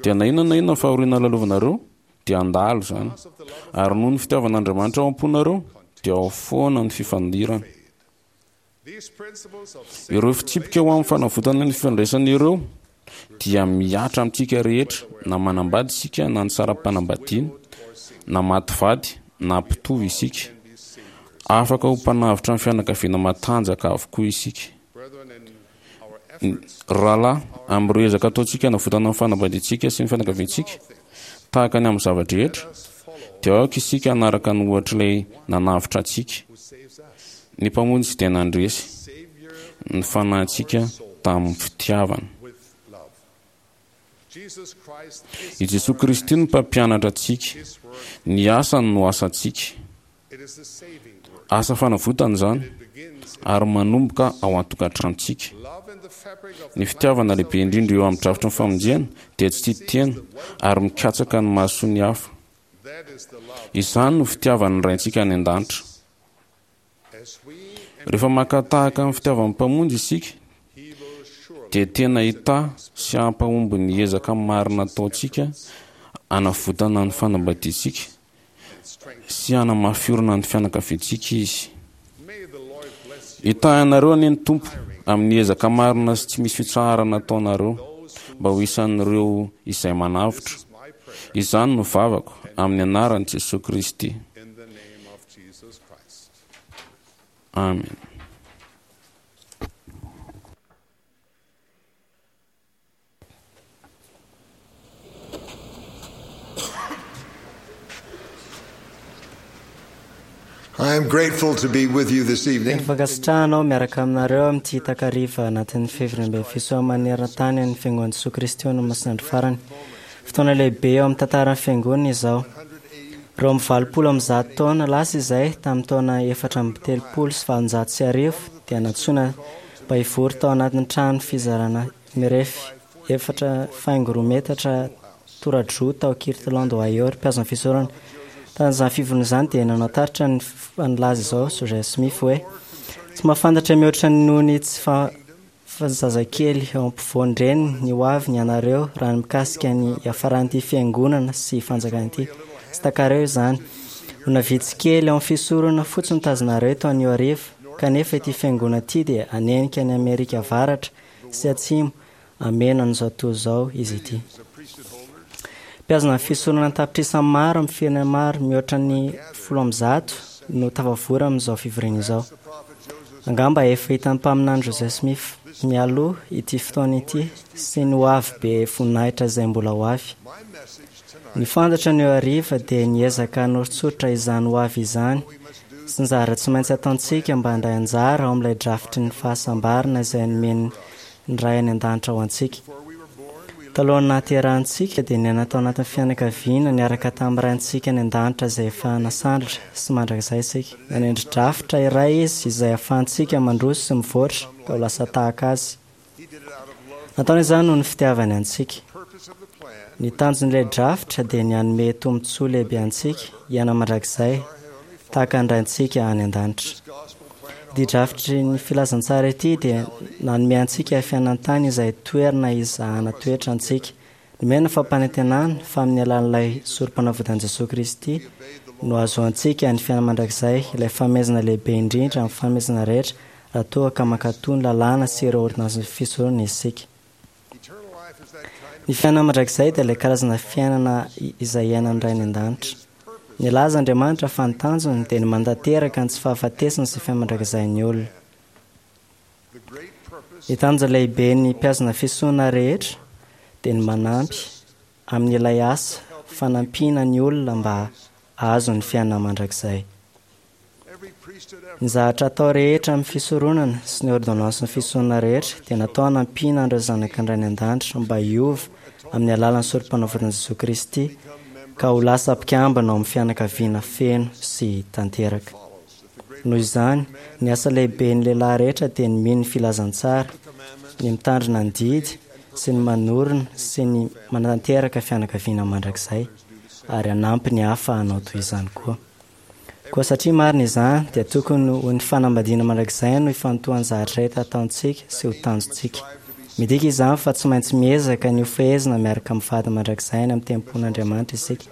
dia na inona na inona fahoriana lalovanareo, dia handalo izany. Ary noho ny fitiavan'Andriamanitra ao am-ponareo, dia ao foana ny fifandirana. Ireo fitsipika ho amin'ny fanavotana ny fifandraisana ireo dia mihatra amintsika rehetra, na manambady isika na nisara-panambadiana, na maty vady na mpitovo isika. Afaka ho mpanavotra ny fianakaviana matanjaka avokoa isika. Rahalahy, amin'ireo ezaka ataontsika hanavotana ny fanambadiantsika sy ny fianakaviantsika, tahaka ny amin'ny zava-drehetra, dia aoka isika hanaraka ny ohatr'ilay nanavotra antsika. Ny Mpamonjy dia nandresy ny fanahintsika tamin'ny fitiavana. I Jesoa Kristy no mpampianatra antsika. Ny asany no asantsika. Asa fanavotana izany ary manomboka ao an-tokantranontsika. Ny fitiavana lehibe indrindra eo amin'ny drafitry ny famonjena dia tsy tia tena ary mikatsaka ny mahasoa ny hafa. Izany no fitiavan'ny Raintsika any an-danitra. Rehefa maka tahaka ny fitiavan'ny Mpamonjy isika, dia tena hitahy sy hampahomby ny ezaka marina ataontsika hanavotana ny fanambadiantsika sy hanamafy orina ny fianakaviantsika Izy. Hitahy anareo anie ny Tompo amin'ny ezaka marina sy tsy misy fitsaharana ataonareo mba ho isan'ireo izay manavotra. Izany no vavako amin'ny anaran'i Jesoa Kristy. Amen. I am grateful to be with you this evening. Teny fankasitrahana aho miaraka aminareo amin'ity takariva anatin'ny fivoriambe fisoa maneran-tany an'ny Fiangonan'i Jesoa Kristy ho an'ny Masinandro farany. Fotoana lehibe eo amin'ny tantaran'ny Fiangonana izao. Roa amby valopolo amby zato taona lasa izay, tamin'ny taona efatra amby telopolo sy valonjato sy arivo, dia nantsoina mba hivory tao anatin'ny trano fizarana mirefy efatra faingo roa metatra tora-droa tao Kirtland, Ohio, ry mpihazo ny fisoronana. Tamin'izany fivoriana izany dia nanao taritra ny nilaza izao Joseph Smith hoe, Tsy mahafantatra mihoatra noho ny tsy fa zazakely eo ampovoan-dreniny ny ho aviny ianareo raha ny mikasika ny hiafaran'ity fiangonana sy fanjakana ity. Tsy takareo izany. Olona vitsy kely ao amin'ny fisoronana fotsiny no tazonareo eto anio hariva, kanefa ity fiangonana ity dia hanenika an'i Amerika Avaratra sy Atsimo hameno an'izao tontolo izao izy ity. Mpihazona ny fisoronana an-tapitrisany maro amin'ny firenena maro mihoatra ny folo amby zato no tafavory amin'izao fivoriana izao. Angamba efa hitan'ny mpaminany Joseph Smith mialoha ity fotoana ity sy ny ho avy be voninahitra izay mbola ho avy. Ny fantatra ny hariva dia niezaka hanoritsoritra izany ho avy izany sy ny zavatra tsy maintsy ataontsika mba handray anjara ao amin'ilay drafitry ny fahasambarana izay nomen'ny Ray any an-danitra ho antsika. Talohan'ny nahaterahantsika dia niaina tao anatin'ny fianakaviana niaraka tamin'ny Raintsika any an-danitra izay efa nasandratra sy mandrakizay isika. Nanendry drafitra iray izy izay ahafahantsika mandroso sy mivoatra ka ho lasa tahaka azy. Nataony izany noho ny fitiavany antsika. Ny tanjon'ilay drafitra dia ny hanome tombontsoa lehibe antsika hiaina mandrakizay tahaka ny Raintsika any an-danitra. Ity drafitry ny filazantsara ity dia nanome antsika fiainan-tany izay toerana hizahana toetra antsika. Nomena fampanantenana fa amin'ny alalan'ilay sorom-panavotan'i Jesoa Kristy no ahazoantsika ny fiainana mandrakizay, ilay fanomezana lehibe indrindra amin'ny fanomezana rehetra raha toa ka mankatò ny lalàna sy ireo ôrdônansin'ny fisoronana isika. Ny fiainana mandrakizay dia ilay karazana fiainana izay iainan'ny Ray any an-danitra. Nilaza Andriamanitra fa ny tanjony dia ny mantanteraka ny tsy fahafatesana sy fiainana mandrakizain'ny olona. Ny tanjona lehiben'ny mpihazona fisoronana rehetra dia ny manampy amin'ilay asa fanampiana ny olona mba hahazo ny fiainana mandrakizay. Ny zavatra atao rehetra amin'ny fisoronana sy ny ôrdônansin'ny fisoronana rehetra dia natao hanampiana an'ireo zanaka ny Ray any an-danitra mba hiova amin'ny alalan'ny sorom-panavotan'i Jesoa Kristy ka ho lasa mpikambana ao amin'ny fianakaviana feno sy tanteraka. Noho izany, ny asa lehiben'ny lehilahy rehetra dia ny mino ny filazantsara, ny mitandrina ny didy sy ny manorina sy ny manatanteraka fianakaviana mandrakizay ary hanampy ny hafa hanao toy izany koa. Koa satria marina izany, dia tokony ho ny fanambadiana mandrakizay no ifantohan'ny zavatra rehetra ataontsika sy ho tanjontsika. Midika izany fa tsy maintsy miezaka ny ho fehezina miaraka amin'ny vady mandrakizay any amin'ny tempolin'Andriamanitra isika.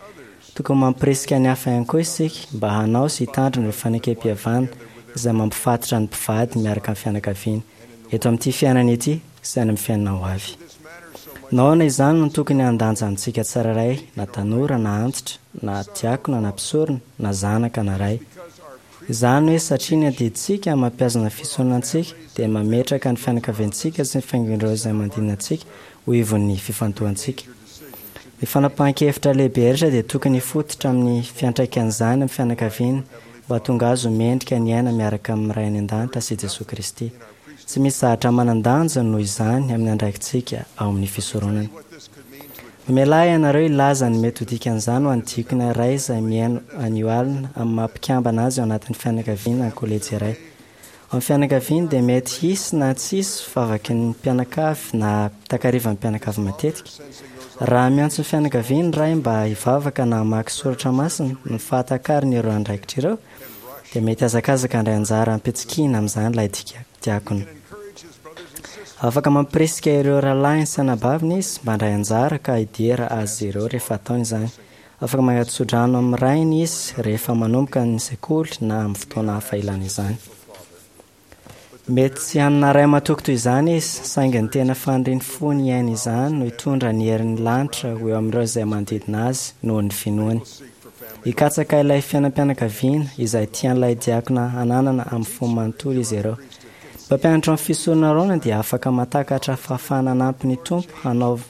Tokony mampirisika ny hafa ihany koa isika mba hanao sy hitandrina ireo fanekem-pihavana izay mampifatotra ny mpivady miaraka amin'ny fianakaviana, eto amin'ity fiainana ity sy any amin'ny fiainana ho avy. Nahoana izany no tokony handanja amintsika tsirairay, na tanora na antitra, na diakona na mpisorona, na zanaka na ray? Izany hoe satria ny adidintsika mampihazona fisoronana antsika dia mametraka ny fianakaviantsika sy ny fiangon'ireo izay manodidina antsika ho ivon'ny fifantohantsika. Ny fanapahan-kevitra lehibe rehetra dia tokony hifototra amin'ny fiantraikan'izany amin'ny fianakaviana mba hahatonga azy ho mendrika ny aina miaraka amin'ny Ray any An-danitra sy Jesoa Kristy. Tsy misy zavatra manan-danja noho izany amin'ny andraikitsika ao amin'ny fisoronana. Mamelà ianareo hilaza ny mety ho dikan'izany ho an'ny diakona iray izay mihaino anio alina amin'ny maha-mpikambana azy ao anatin'ny fianakaviana ny kolejy iray. Ao amin'ny fianakaviany dia mety hisy na tsy hisy vavaky ny mpianakavy na takarivan'ny mpianakavy matetika. Raha miantso ny fianakaviany ny ray mba hivavaka na hamaky soratra masina, ny fahatakariny ireo andraikitra ireo dia mety hazakazaka handray anjara am-pitsikiana amin'izany ilay diakona. Afaka mampirisika ireo rahalahiny sy anabaviny izy mba handray anjara ka hidera azy ireo rehefa ataony izany. Afaka mangatsodrano amin'ny rainy izy rehefa manomboka ny sekoly na amin'ny fotoana hafa ilana izany. Mety tsy hanana ray matoky toy izany izy, saingy ny tena fanirian'ny fony hiaina izany no hitondra ny herin'ny lanitra ho eo amin'ireo izay manodidina azy noho ny finoany. Hikatsaka ilay fiainam-pianakaviana izay tian'ilay diakona hananana amin'ny fony manontolo izy ireo. Ny mpampianatra amin'ny fisoronana Aarona dia afaka mahatakatra fahafahana hanampy ny Tompo hanao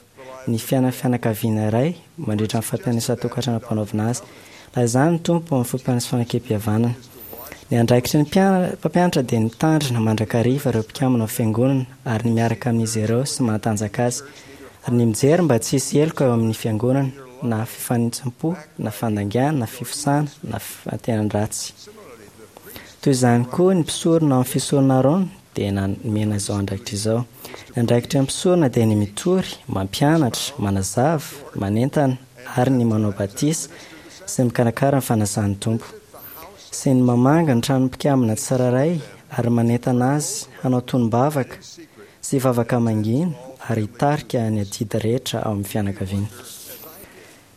ny fiainan'ny fianakaviana iray mandritra ny fampian'isan-tokantrano ampanaovina azy. Na izany ny Tompo amin'ny fompan'ny fanekempihavanana. Ny andraikitry ny mpampianatra dia ny mitandrina mandrakariva ireo mpikambana ao fiangonana ary ny miaraka amin'izy ireo sy mahatanjaka azy, ary ny mijery mba tsy hisy heloka eo amin'ny fiangonana, na fifanintsim-po, na fandaingana, na fifosana, na fantenan-dratsy. Toy izany koa ny mpisorona ao amin'ny fisorona Aarona dia nomena izao andraikitra izao. Ny andraikitry ny mpisorona dia ny mitory, mampianatra, manazava, manentana ary ny manao batisa sy ny mikarakara ny fanasan'ny Tompo. Sy ny mamangy ny tranon'ny mpikambana tsirairay ary manentana azy hanao tonom-bavaka sy vavaka mangina ary hitarika ny adidy rehetra ao amin'ny fianakaviana.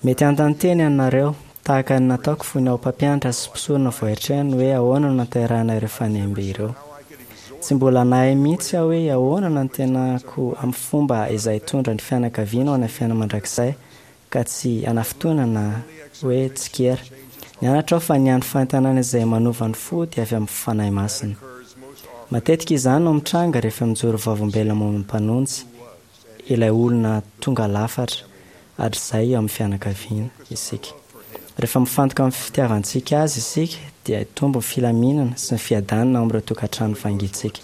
Mety hanontany teny ianareo, tahaka ny nataoko fony aho mpampianatra sy mpisorona voaeritreriny hoe ahoana no nahaterahana ireo fanembe ireo. Tsy mbola nahay mihitsy aho hoe ahoana no antenako amin'ny fomba izay hitondra ny fianakaviana ho any amin'ny fiainana mandrakizay ka tsy hanafintohina na hoe tsikera. Nianatra aho fa ny hany fanentanana izay manova ny fo dia avy amin'ny Fanahy Masina. Matetika izany no mitranga rehefa mijoro vavolombelona momba ny Mpanonjy, ilay olona tonga lafatra hatrizay eo amin'ny fianakaviana, isika. Rehefa mifantoka amin'ny fitiavantsika azy isika dia hitombo ny filaminana sy ny fiadanana ao amin'ireo tokantrano vangintsika.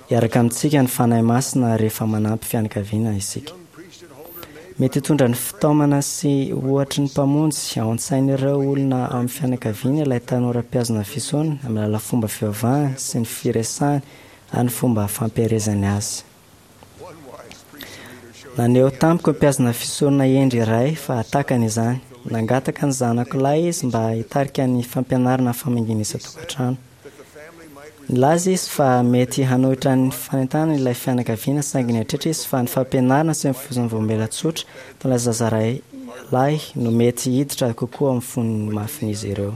Hiaraka amintsika ny Fanahy Masina rehefa manampy fianakaviana isika. Mety hitondra ny fitaomana sy ohatry ny Mpamonjy ao an-tsain'ireo olona ao amin'ny fianakaviany ilay tanora mpihazona fisoronana amin'ny alalan'ny fomba fivavahany sy ny firesahany ary ny fomba fampielezany azy. Naneho tamiko ny mpihazona fisoronana hendry iray fa takany izany. Nangataka ny zanako lahy izy mba hitarika ny fampianarana ny famangiana isan-tokantrano. Nilaza izy fa mety hanohitra ny fanentanana ilay fianakaviana, saingy nieritreritra izy fa ny fampianarana sy ny fozon'ny volombelona tsotra ataon'ilay zaza iray lahy no mety hiditra kokoa amin'ny fony mafin'izy ireo.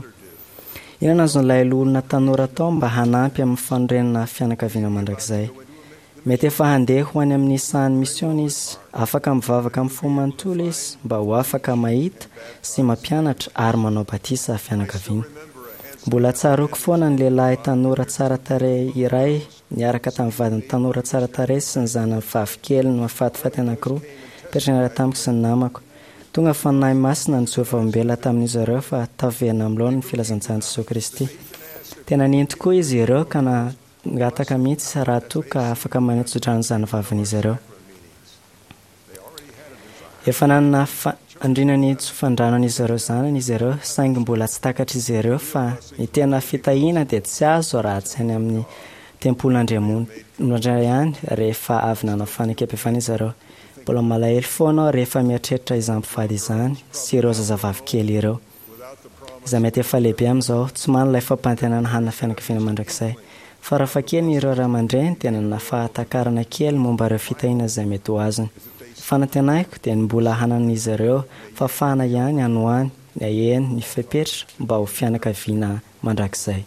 Inona no azon'ilay loholona tanora atao mba hanampy amin'ny fanorenana fianakaviana mandrakizay? Mety efa handeha ho any amin'ny sahan'ny misiona izy. Afaka mivavaka amin'ny fo manontolo izy mba ho afaka mahita sy mampianatra ary manao batisa fianakaviana. Mbola tsaroako foana ny lehilahy tanora tsara tarehy iray niaraka tamin'ny vadiny tanora tsara tarehy sy ny zanany vavikeliny mahafatifaty anankiroa nipetraka niaraka tamiko sy ny namako. Tonga ny Fanahy Masina nijoro vavolombelona tamin'izy ireo fa taverina amin'ny laoniny ny filazantsaran'i Jesoa Kristy. Tena nino tokoa izy ireo ka nangataka mihitsy raha toa ka afaka maneho tsodrano ny zanavavin'izy ireo. Efa nanana faniriana ny hitsofandrano an'izy ireo zanany izy ireo, saingy mbola tsy takatr'izy ireo fa ny tena fitahiana dia tsy azo raha tsy any amin'ny tempolin'Andriamanitra ihany rehefa avy nanao fanekempihavanana izy ireo. Mbola malahelo foana aho rehefa mieritreritra izany mpivady izany sy ireo zazavavy kely ireo, izay mety efa lehibe amin'izao, tsy manana ilay fampanantenana hanana fianakaviana mandrakizay. Farafahakeliny ireo ray aman-dreny dia nanana fahatakarana kely momba ireo fitahiana izay mety ho azony. Ny fanantenako dia ny mbola hananan'izy ireo fahafahana ihany any ho any ny haheno ny fepetra mba ho fianakaviana mandrakizay.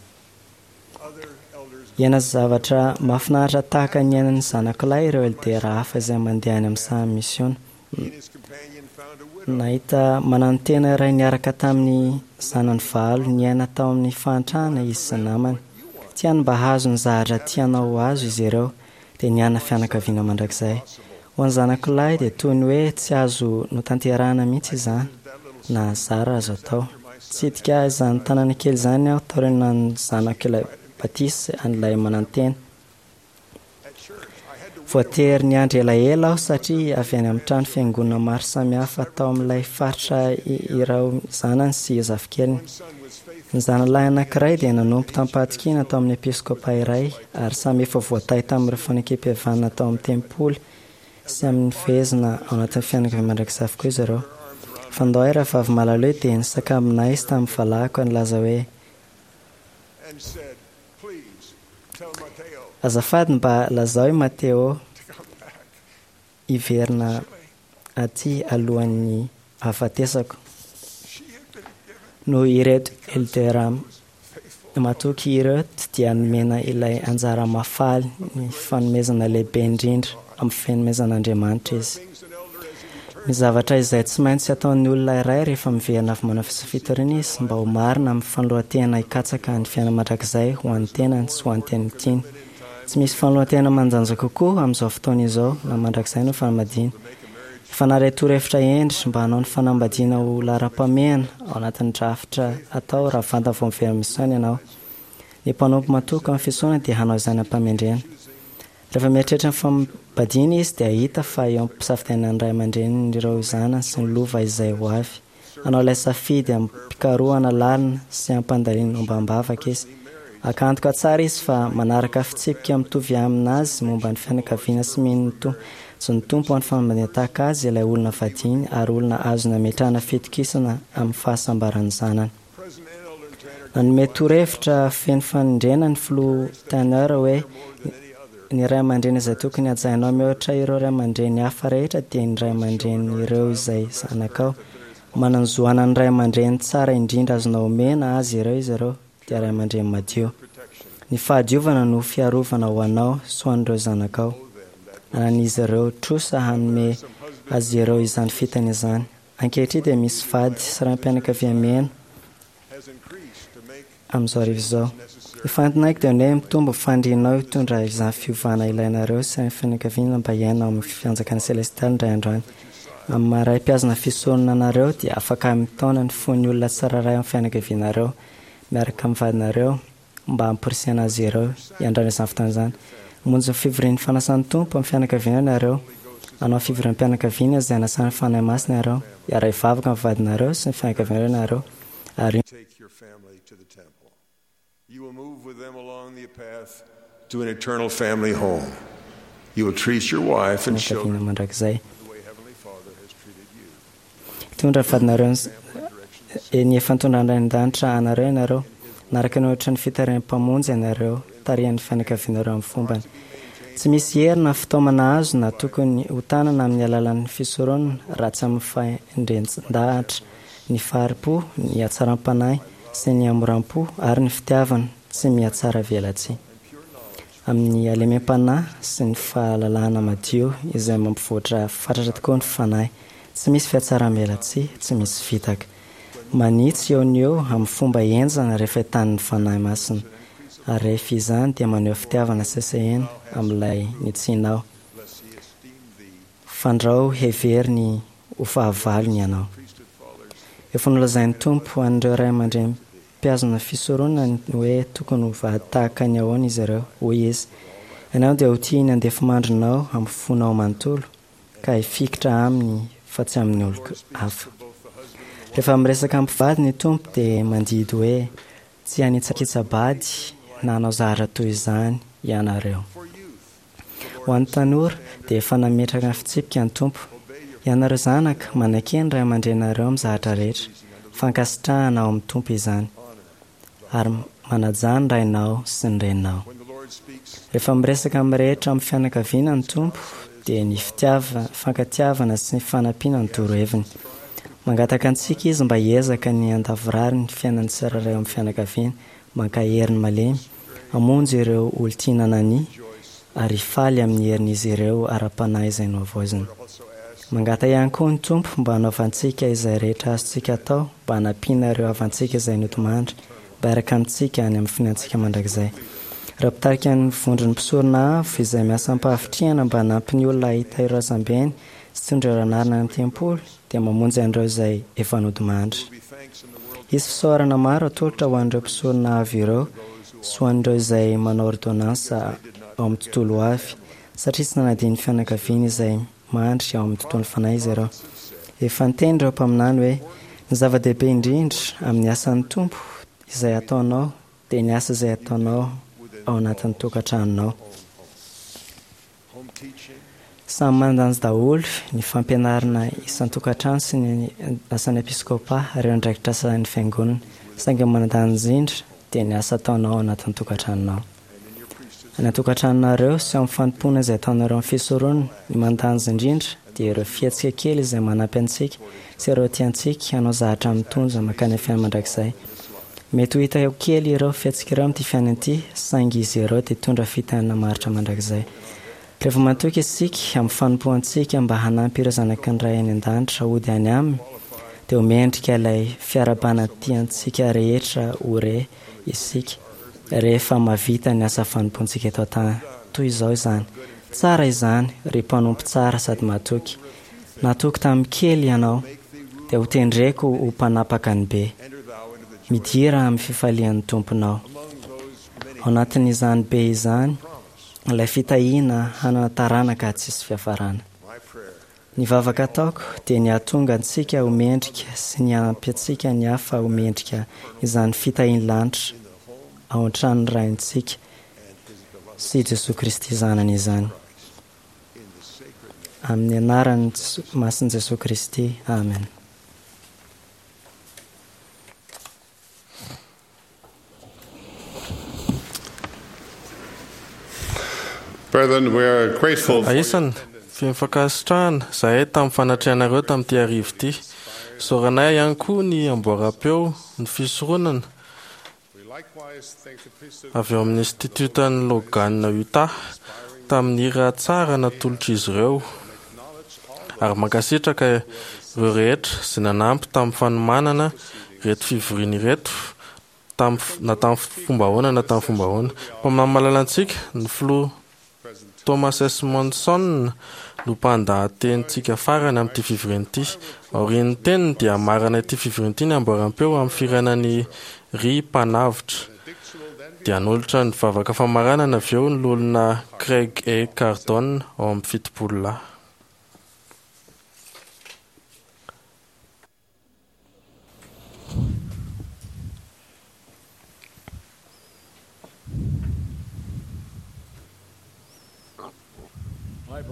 Hiaina zavatra mahafinaritra tahaka ny iainan'ny zanak'lahy ireo eldera hafa izay mandeha any amin'ny sahan'ny misiona. Nahita mananotena iray niaraka tamin'ny zanany valo niaina tao amin'ny fahantrana izy sy ny namany. Tiany mba hahazo ny zavatra tianao ho azo izy ireo, dia niaina fianakaviana mandrakizay. Ho an'ny zanako lahy dia toy ny hoe tsy azo notanterahina mihitsy izany, na zara azo atao. Nitsidika izany tanàna kely izany aho taorian'ny zanako ilay batisa an'ilay manantena. Voatery niandry elaela aho satria avy any amin'ny trano fiangonana maro samihafa tao amin'ilay faritra ireo zanany sy zafikeliny. Ny zanalahy anankiray dia nanompo tamim-pahatokiana tao amin'ny episkopa iray ary samy efa voatahy tamin'ireo fanekempihavanana tao amin'ny tempoly sy amin'ny fehezina ao anatin'ny fianakaviana mandrakizay avokoa izy ireo. Fandao ahy rahavavy malahelo dia nisakambina izy tamin'ny valahako nilaza hoe: Azafady mba lazao i Mateo hiverina aty alohan'ny hahafatesako. Noho ireto eldera matoky ireo dia nomena ilay anjara mahafaly ny fanomezana lehibe indrindra amin'ny fanomezan'Andriamanitra izy. Ny zavatra izay tsy maintsy ataon'ny olona iray rehefa miverina avy manao fitoriana izy mba ho marina amin'ny fanoloran-tena hikatsaka ny fiainana mandrakizay ho an'ny tenany sy ho an'ny teny tiany. Tsy misy fanoloran-tena manan-danja kokoa amin'izao fotoana izao na mandrakizay no fanambadiana. Efa naharay torohevitra hendry mba hanao ny fanambadiana ho laharam-pahamehana ao anatin'ny drafitra atao raha vantany vao miverina misiona ianao. Ny mpanompo matoky amin'ny fisoronana dia hanao izany am-pahamendrehana. Rehefa mieritreritra ny fanambadiana izy dia hahita fa eo am-pisafidianana ny ray aman-drenin'ireo zanany sy ny lova izay ho avy. Hanao ilay safidy am-pikarohana lalina sy am-pandalinana ombam-bavaka izy. Haka antoka tsara izy fa manaraka fitsipika mitovy aminazy momba ny fianakaviana sy mino ny zon'ny Tompo ho an'ny fanambadiana tahaka azy ilay olona vadiany ary olona azo nametrahana fitokisana amin'ny fahasambaran'ny zanany. Nanome torohevitra feno fanindrena ny filoha Tanner hoe: Ny ray aman-dreny izay tokony hajainao mihoatra ireo ray aman-dreny hafa rehetra dia ny ray aman-drenin'ireo izay zanakao. Manan-jo hanana ny ray aman-dreny tsara indrindra azonao omena azy ireo izy ireo, dia ray aman-dreny madio. Ny fahadiovana no fiarovana ho anao sy ho an'ireo zanakao. Anan'izy ireo trosa hanome azy ireo izany fitana izany. Ankehitriny dia misy vady sy raim-pianakaviana miaina amin'izao hariva izao. Ny fanantenako dia ny hoe mitombo ny fanirianao hitondra izany fiovana ilainareo sy ny fianakaviana mba hiaina ao amin'ny fanjakana selestialy indray andro any. Amin'ny maha ray mpihazona fisoronana anareo dia afaka mitaona ny fon'ny olona tsirairay ao amin'ny fianakavianareo miaraka amin'ny vadinareo mba hamporisihana azy ireo hiandrana izany fotoana izany. Hamonjy ny fivorian'ny fanasan'ny Tompo amin'ny fianakaviana ianareo. Hanao fivoriam-pianakaviana izay anasan'ny Fanahy Masina ianareo. Hiara-hivavaka amin'ny vadinareo sy ny fianakavianareo ianareo. Ary Take your family to the temple. You will move with them along the path to an eternal family home. You will treat your wife and fianakaviana children mandrakizay. the way Heavenly Father has treated you. Hitondra ny vadinareo ny- ny efa nitondran'ny Ray an-danitra anareo ianareo. Naraka ny ohatra ny fitarihan'ny Mpamonjy ianareo, tarihan'ny fianakavianareo amin'ny fombany. Tsy misy hery na fitaomana azo na tokony ho tanana amin'ny alalan'ny fisoronana raha tsy amin'ny fahendren-dahatra, ny fahari-po, ny hatsaram-panahy sy ny hamoram-po ary ny fitiavana tsy mihatsara velatsihy. Amin'ny halemem-panahy sy ny fahalalana madio izay mampivoatra fatratra tokoa ny fanahy. Tsy misy fihatsaram-belatsihy, tsy misy fitaka. Manitsy eo no eo amin'ny fomba henjana rehefa entanin'ny Fanahy Masina. Ary rehefa izany dia maneho fitiavana sesehena amin'ilay nitsinao. Fandrao heveriny ho fahavalony ianao. Efa nolazain'ny Tompo an'ireo ray aman-dreny mpiazona fisoronana ny hoe tokony ho vady tahaka ny ahoana izy ireo, hoy izy. Ianao dia ho tia ny andefimandrinao amin'ny fonao manontolo ka hifikitra aminy fa tsy amin'ny olon-kafa. Rehefa miresaka amin'ny mpivady ny Tompo dia mandidy hoe tsy hanitsakitsa-bady na hanao zavatra toy izany ianareo. Ho an'ny tanora dia efa nametraka ny fitsipika ny Tompo. Ianareo zanaka manaiky ny ray aman-dreninareo amin'ny zavatra rehetra. Fankasitrahana ao amin'ny Tompo izany. Ary manaja ny rainao sy ny reninao. Rehefa miresaka amin'ny rehetra amin'ny fianakaviana ny Tompo dia ny fitiava, fankatiavana sy ny fanampiana ny toroheviny. Mangataka antsika izy mba hiezaka ny handavorary ny fiainan'ny tsirairay ao amin'ny fianakaviana, mankahery ny malemy, hamonjy ireo olon-tiana nania ary hifaly amin'ny herin'izy ireo ara-panahy izay nohavaozina. Mangataka ihany koa ny Tompo mba hanaovantsika izay rehetra azontsika atao mba hanampiana ireo havantsika izay nodimandry mba hiaraka amintsika any amin'ny finantsika mandrakizay. Raha mpitarika ny vondron'ny mpisorona avo izay miasa am-pahavitrihana mba hanampy ny olona hahita ireo razambeny sy tondro ireo anarana any amin'ny tempoly dia mamonjy an'ireo izay efa nodimandry. Hisy fisaorana maro atolotra ho an'ireo mpisorona avo ireo sy ho an'ireo izay manao ordonnance ao amin'ny tontolo avy satria tsy nanadino ny fianakaviany izay mandry ao amin'ny tontolo fanahy izy ireo. Efa niteny ireo mpaminany hoe ny zava-dehibe indrindra amin'ny asan'ny Tompo izay ataonao dia ny asa izay ataonao ao anatin'ny tokantranonao. Samy mandanja daholo ny fampianarana isan-tokantrano sy ny asan'ny episkopa ary ireo andraikitra asan'ny fiangonana. Saingy ny manan-danja indrindra dia ny asa ataonao ao anatin'ny tokantranonao. Any an-tokantranonareo sy ao amin'ny fanompoana izay ataonareo amin'ny fisoronana, ny manan-danja indrindra dia ireo fihetsika kely izay manampy antsika sy ireo tiantsika hanao zavatra mitondra mankany amin'ny fiainana mandrakizay. Mety ho hita eo kely ireo fihetsika ireo amin'ity fiainana ity, saingy izy ireo dia hitondra fitahiana maharitra mandrakizay. Rehefa matoky isika amin'ny fanompoantsika mba hanampy ireo zanaky ny Ray any an-danitra hody any aminy, dia ho mendrika ilay fiarahabana tiantsika rehetra ho re isika rehefa mahavita ny asa fanompoantsika eto an-tany. Toy izao izany. Tsara izany, ry mpanompo tsara sady matoky. Natoky tamin'ny kely ianao, dia ho tendreko ho mpanapaka ny be. Midira amin'ny fifalian'ny Tomponao. Ao anatin'izany be izany, ilay fitahiana hanana taranaka tsisy fiafarana. Ny vavaka ataoko dia ny hahatonga antsika ho mendrika sy ny hanampy antsika ny hafa ho mendrika izany fitahian'ny lanitra ao an-tranon'ny Raintsika sy Jesoa Kristy Zanany izany. Amin'ny anaran'ny masin'i Jesoa Kristy. Amen. Brethren, we are grateful for Aisana, feno fankasitrahana zahay tamin'ny fanatrehanareo tamin'ity hariva ity. Isaoranay ihany koa ny amboaram-peo, ny fisoronana We likewise thank the priesthood avy ao amin'ny institutan'ny Logan Utah tamin'ny hira tsara natolotr'izy ireo. Ary mankasitraka ireo rehetra izay nanampy tamin'ny fanomanana ireto fivoriana ireto tamin'ny na tamin'ny fomba ahoana na tamin'ny fomba ahoana. Mpaminany malala antsika, ny filoha Thomas S. Monson no mpandahatenintsika farany amin'ity fivoriana ity. Aorian'ny teniny dia hamarana ity fivoriana ity ny amboaram-peo amin'ny firenan'ny ry mpanavotra. Dia hanolotra ny vavaka famaranana avy eo ny loholona Craig E. Cardon ao amin'ny fitopolo lahy.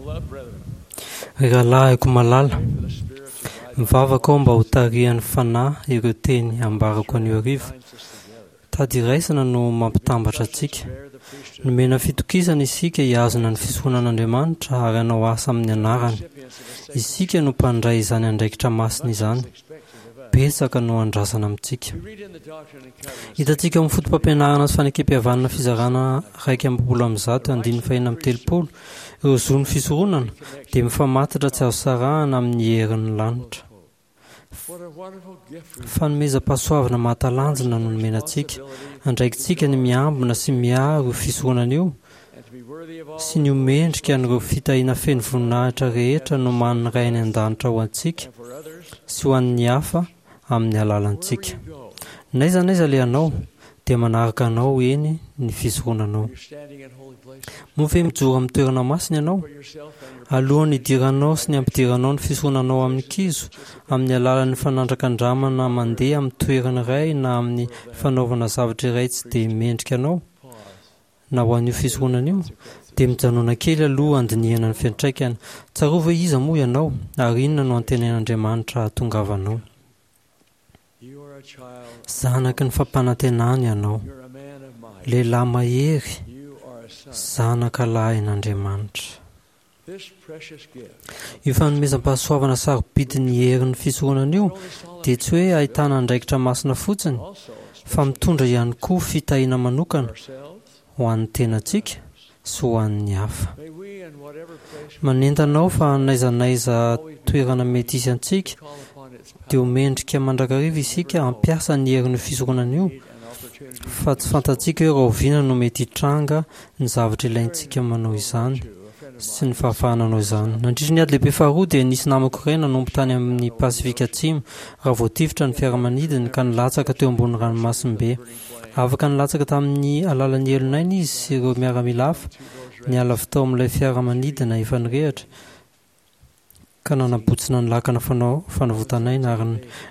Ry rahalahiko malala, mivavaka aho mba ho tarihan'ny Fanahy ireo teny ambarako anio hariva. Tady iraisana no mampitambatra antsika. Nomena fitokisana isika hihazona ny fisoronan'Andriamanitra ary hanao asa amin'ny anarany. Isika no mpandray izany andraikitra masina izany. Betsaka no andrasana amintsika. Hitantsika ao amin'ny foto-pampianarana sy fanekempihavanana fizarana iraika amby roapolo amby zato andininy fahenina amby telopolo, ireo zon'ny fisoronana dia mifamatotra tsy azo sarahana amin'ny herin'ny lanitra. Fanomezam-pahasoavana mahatalanjona no nomena antsika. Andraikitsika ny miambina sy miaro io fisoronana io sy ny ho mendrika an'ireo fitahiana feno voninahitra rehetra nomanin'ny Ray any an-danitra ho antsika sy ho an'ny hafa amin'ny alalantsika. N'aiza n'aiza alehanao, dia manaraka anao eny ny fisoronanao. Moa ve mijoro amin'ny toerana masina ianao? Alohan'ny hidiranao sy ny hampidiranao ny fisoronanao amin'ny kizo, amin'ny alalan'ny fanandrakandramana mandeha amin'ny toerana iray na amin'ny fanaovana zavatra iray tsy dia mendrika anao, na ho an'io fisoronana io, dia mijanòna kely aloha handinihana ny fiantraikany. Tsarovy hoe iza moa ianao, ary inona no antenain'Andriamanitra hahatongavanao. Zanaky ny fampanantenana ianao, lehilahy mahery, zanaka lahin'Andriamanitra. Io fanomezam-pahasoavana sarobidin'ny herin'ny fisoronana io dia tsy hoe ahitana andraikitra masina fotsiny, fa mitondra ihany koa fitahiana manokana ho an'ny tenantsika sy ho an'ny hafa. Manentana aho fa n'aiza n'aiza toerana mety hisy antsika, dia ho mendrika mandrakariva isika hampiasa ny herin'io fisoronana io, fa tsy fantatsika hoe rahoviana no mety hitranga ny zavatra ilaintsika manao izany sy ny fahafahana hanao izany. Nandritra ny ady lehibe faharoa dia nisy namako iray nanompo tany amin'ny Pasifika Atsimo raha voatifitra ny fiaramanidiny ka nilatsaka teo ambony ranomasimbe. Afaka nilatsaka tamin'ny alalan'ny elon'aina izy sy ireo miaramila hafa, niala avy tao amin'ilay fiaramanidina efa nirehitra, ka nanabotsina ny lakana fanao fanavotan'aina ary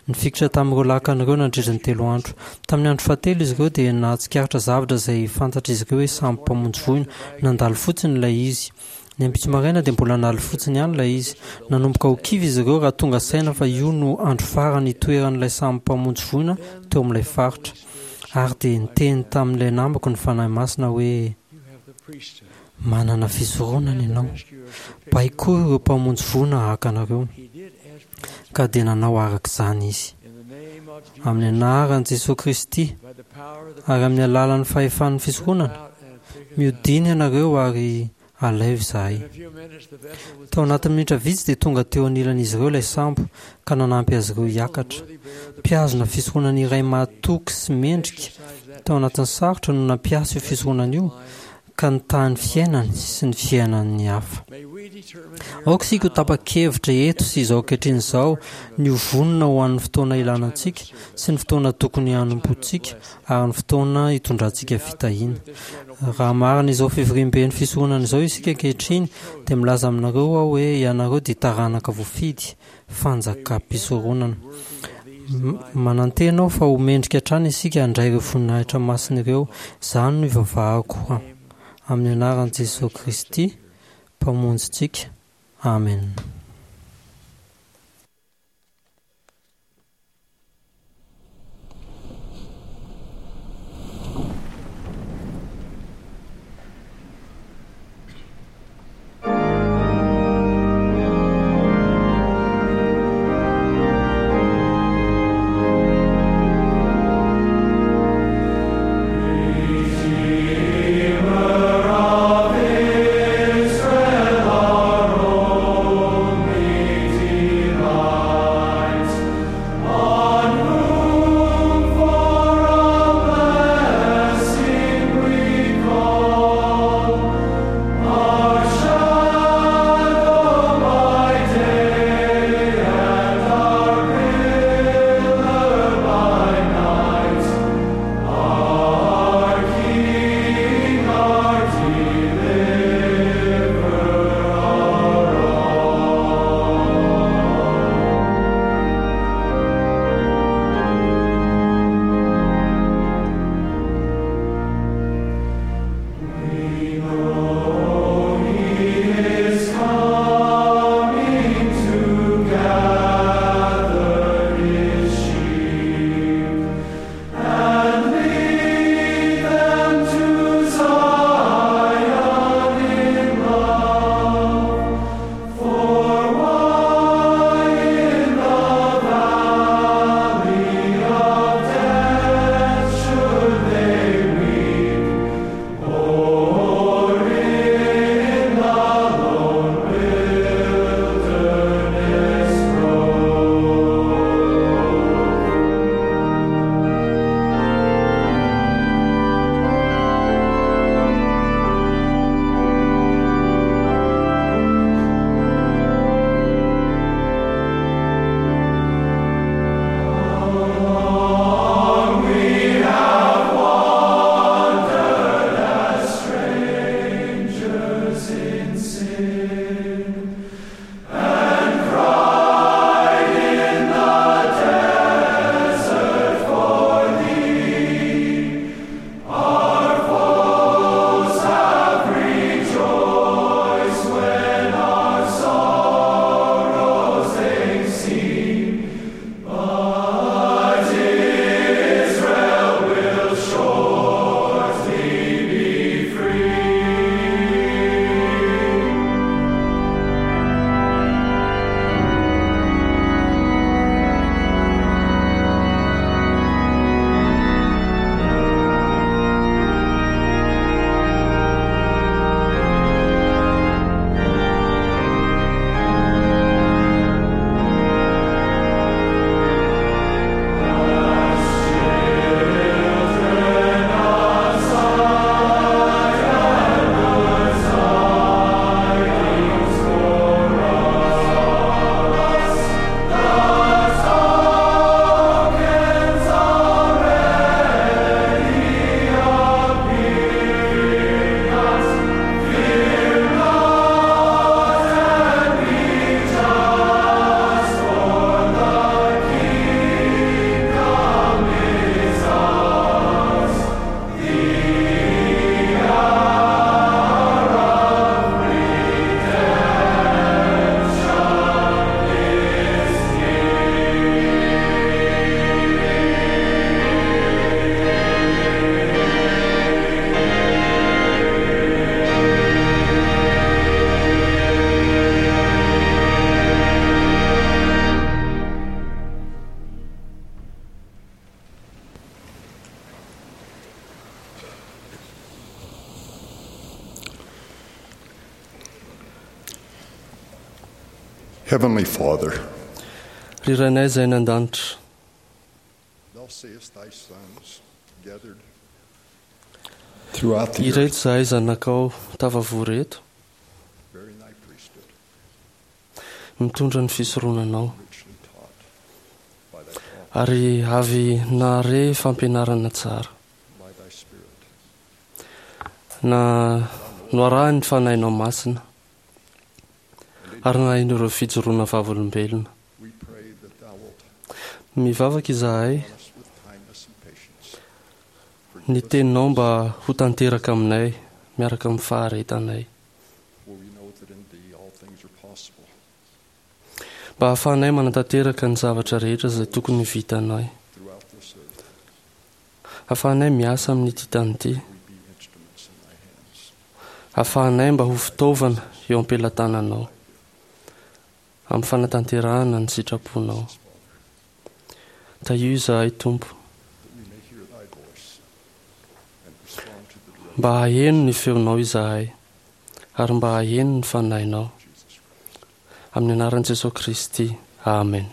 nifikitra tamin'ireo lakana ireo nandritra ny telo andro. Tamin'ny andro fahatelo izy ireo dia nahatsikaritra zavatra izay fantatr'izy ireo hoe sambo mpamonjy voina. Nandalo fotsiny ilay izy. Ny ampitso maraina dia mbola nandalo fotsiny ihany ilay izy. Nanomboka ho kivy izy ireo raha tonga saina fa io no andro farany hitoeran'ilay sambo mpamonjy voina teo amin'ilay faritra. Ary dia niteny tamin'ilay namako ny Fanahy Masina hoe, Manana fisoronana ianao. Baikoy ireo mpamonjy voina haka anareo. Ka dia nanao araka izany izy. Amin'ny anaran'i Jesoa Kristy ary amin'ny alalan'ny fahefan'ny fisoronana, mihodina ianareo ary alaivo izahay. Tao anatin'ny minitra vitsy dia tonga teo anilan'izy ireo ilay sambo ka nanampy azy ireo hiakatra. Mpihazona fisoronana iray mahatoky sy mendrika tao anatin'ny sarotra no nampiasa io fisoronana io ka nitaha ny fiainany sy ny fiainan'ny hafa. Aoka isika ho tapa-kevitra eto sy izao ankehitriny izao ny ho vonona ho an'ny fotoana ilana antsika sy ny fotoana tokony hanompoantsika ary ny fotoana hitondrantsika fitahiana. Raha marina izao fivoriamben'ny fisoronana izao isika ankehitriny, dia milaza aminareo aho hoe ianareo dia taranaka voafidy, fanjakam-pisoronana. Manantena aho fa ho mendrika hatrany isika handray ireo voninahitra masina ireo. Izany no ivavahako amin'ny anaran'i Jesoa Kristy, Mpamonjintsika. Amena. Redeemer of Israel, our own. Heavenly Father, Ry Rainay izay any an-danitra, thou seest thy sons gathered throughout the ireto earth, izahay zanakao tafavory eto, bearing thy priesthood, mitondra ny fisoronanao, richly taught by thy prophet, ary avy nahare fampianarana tsara, by thy Spirit. na noarahan'ny Fanahinao Masina, ary nahain'ireo fijoroana vavolombelona. We pray that thou wilt Mivavaka izahay us with kindness and patience. ny teninao mba ho tanteraka aminay miaraka amin'ny faharetanay, For we know that in thee all things are possible. mba hahafahanay manatanteraka ny zavatra rehetra izay tokony ho vitanay, Throughout this earth, hahafahanay miasa amin'ity tany ity, we be instruments in thy hands. hahafahanay mba ho fitaovana eo am-pelatananao amin'ny fanatanterahana ny sitraponao. Tahio izahay Tompo, That we may hear thy voice and respond to the direction mba haheno ny feonao izahay, ary mba haheno ny fanahinao. of Jesus Christ. Amin'ny anaran'i Jesosy Kristy, amen.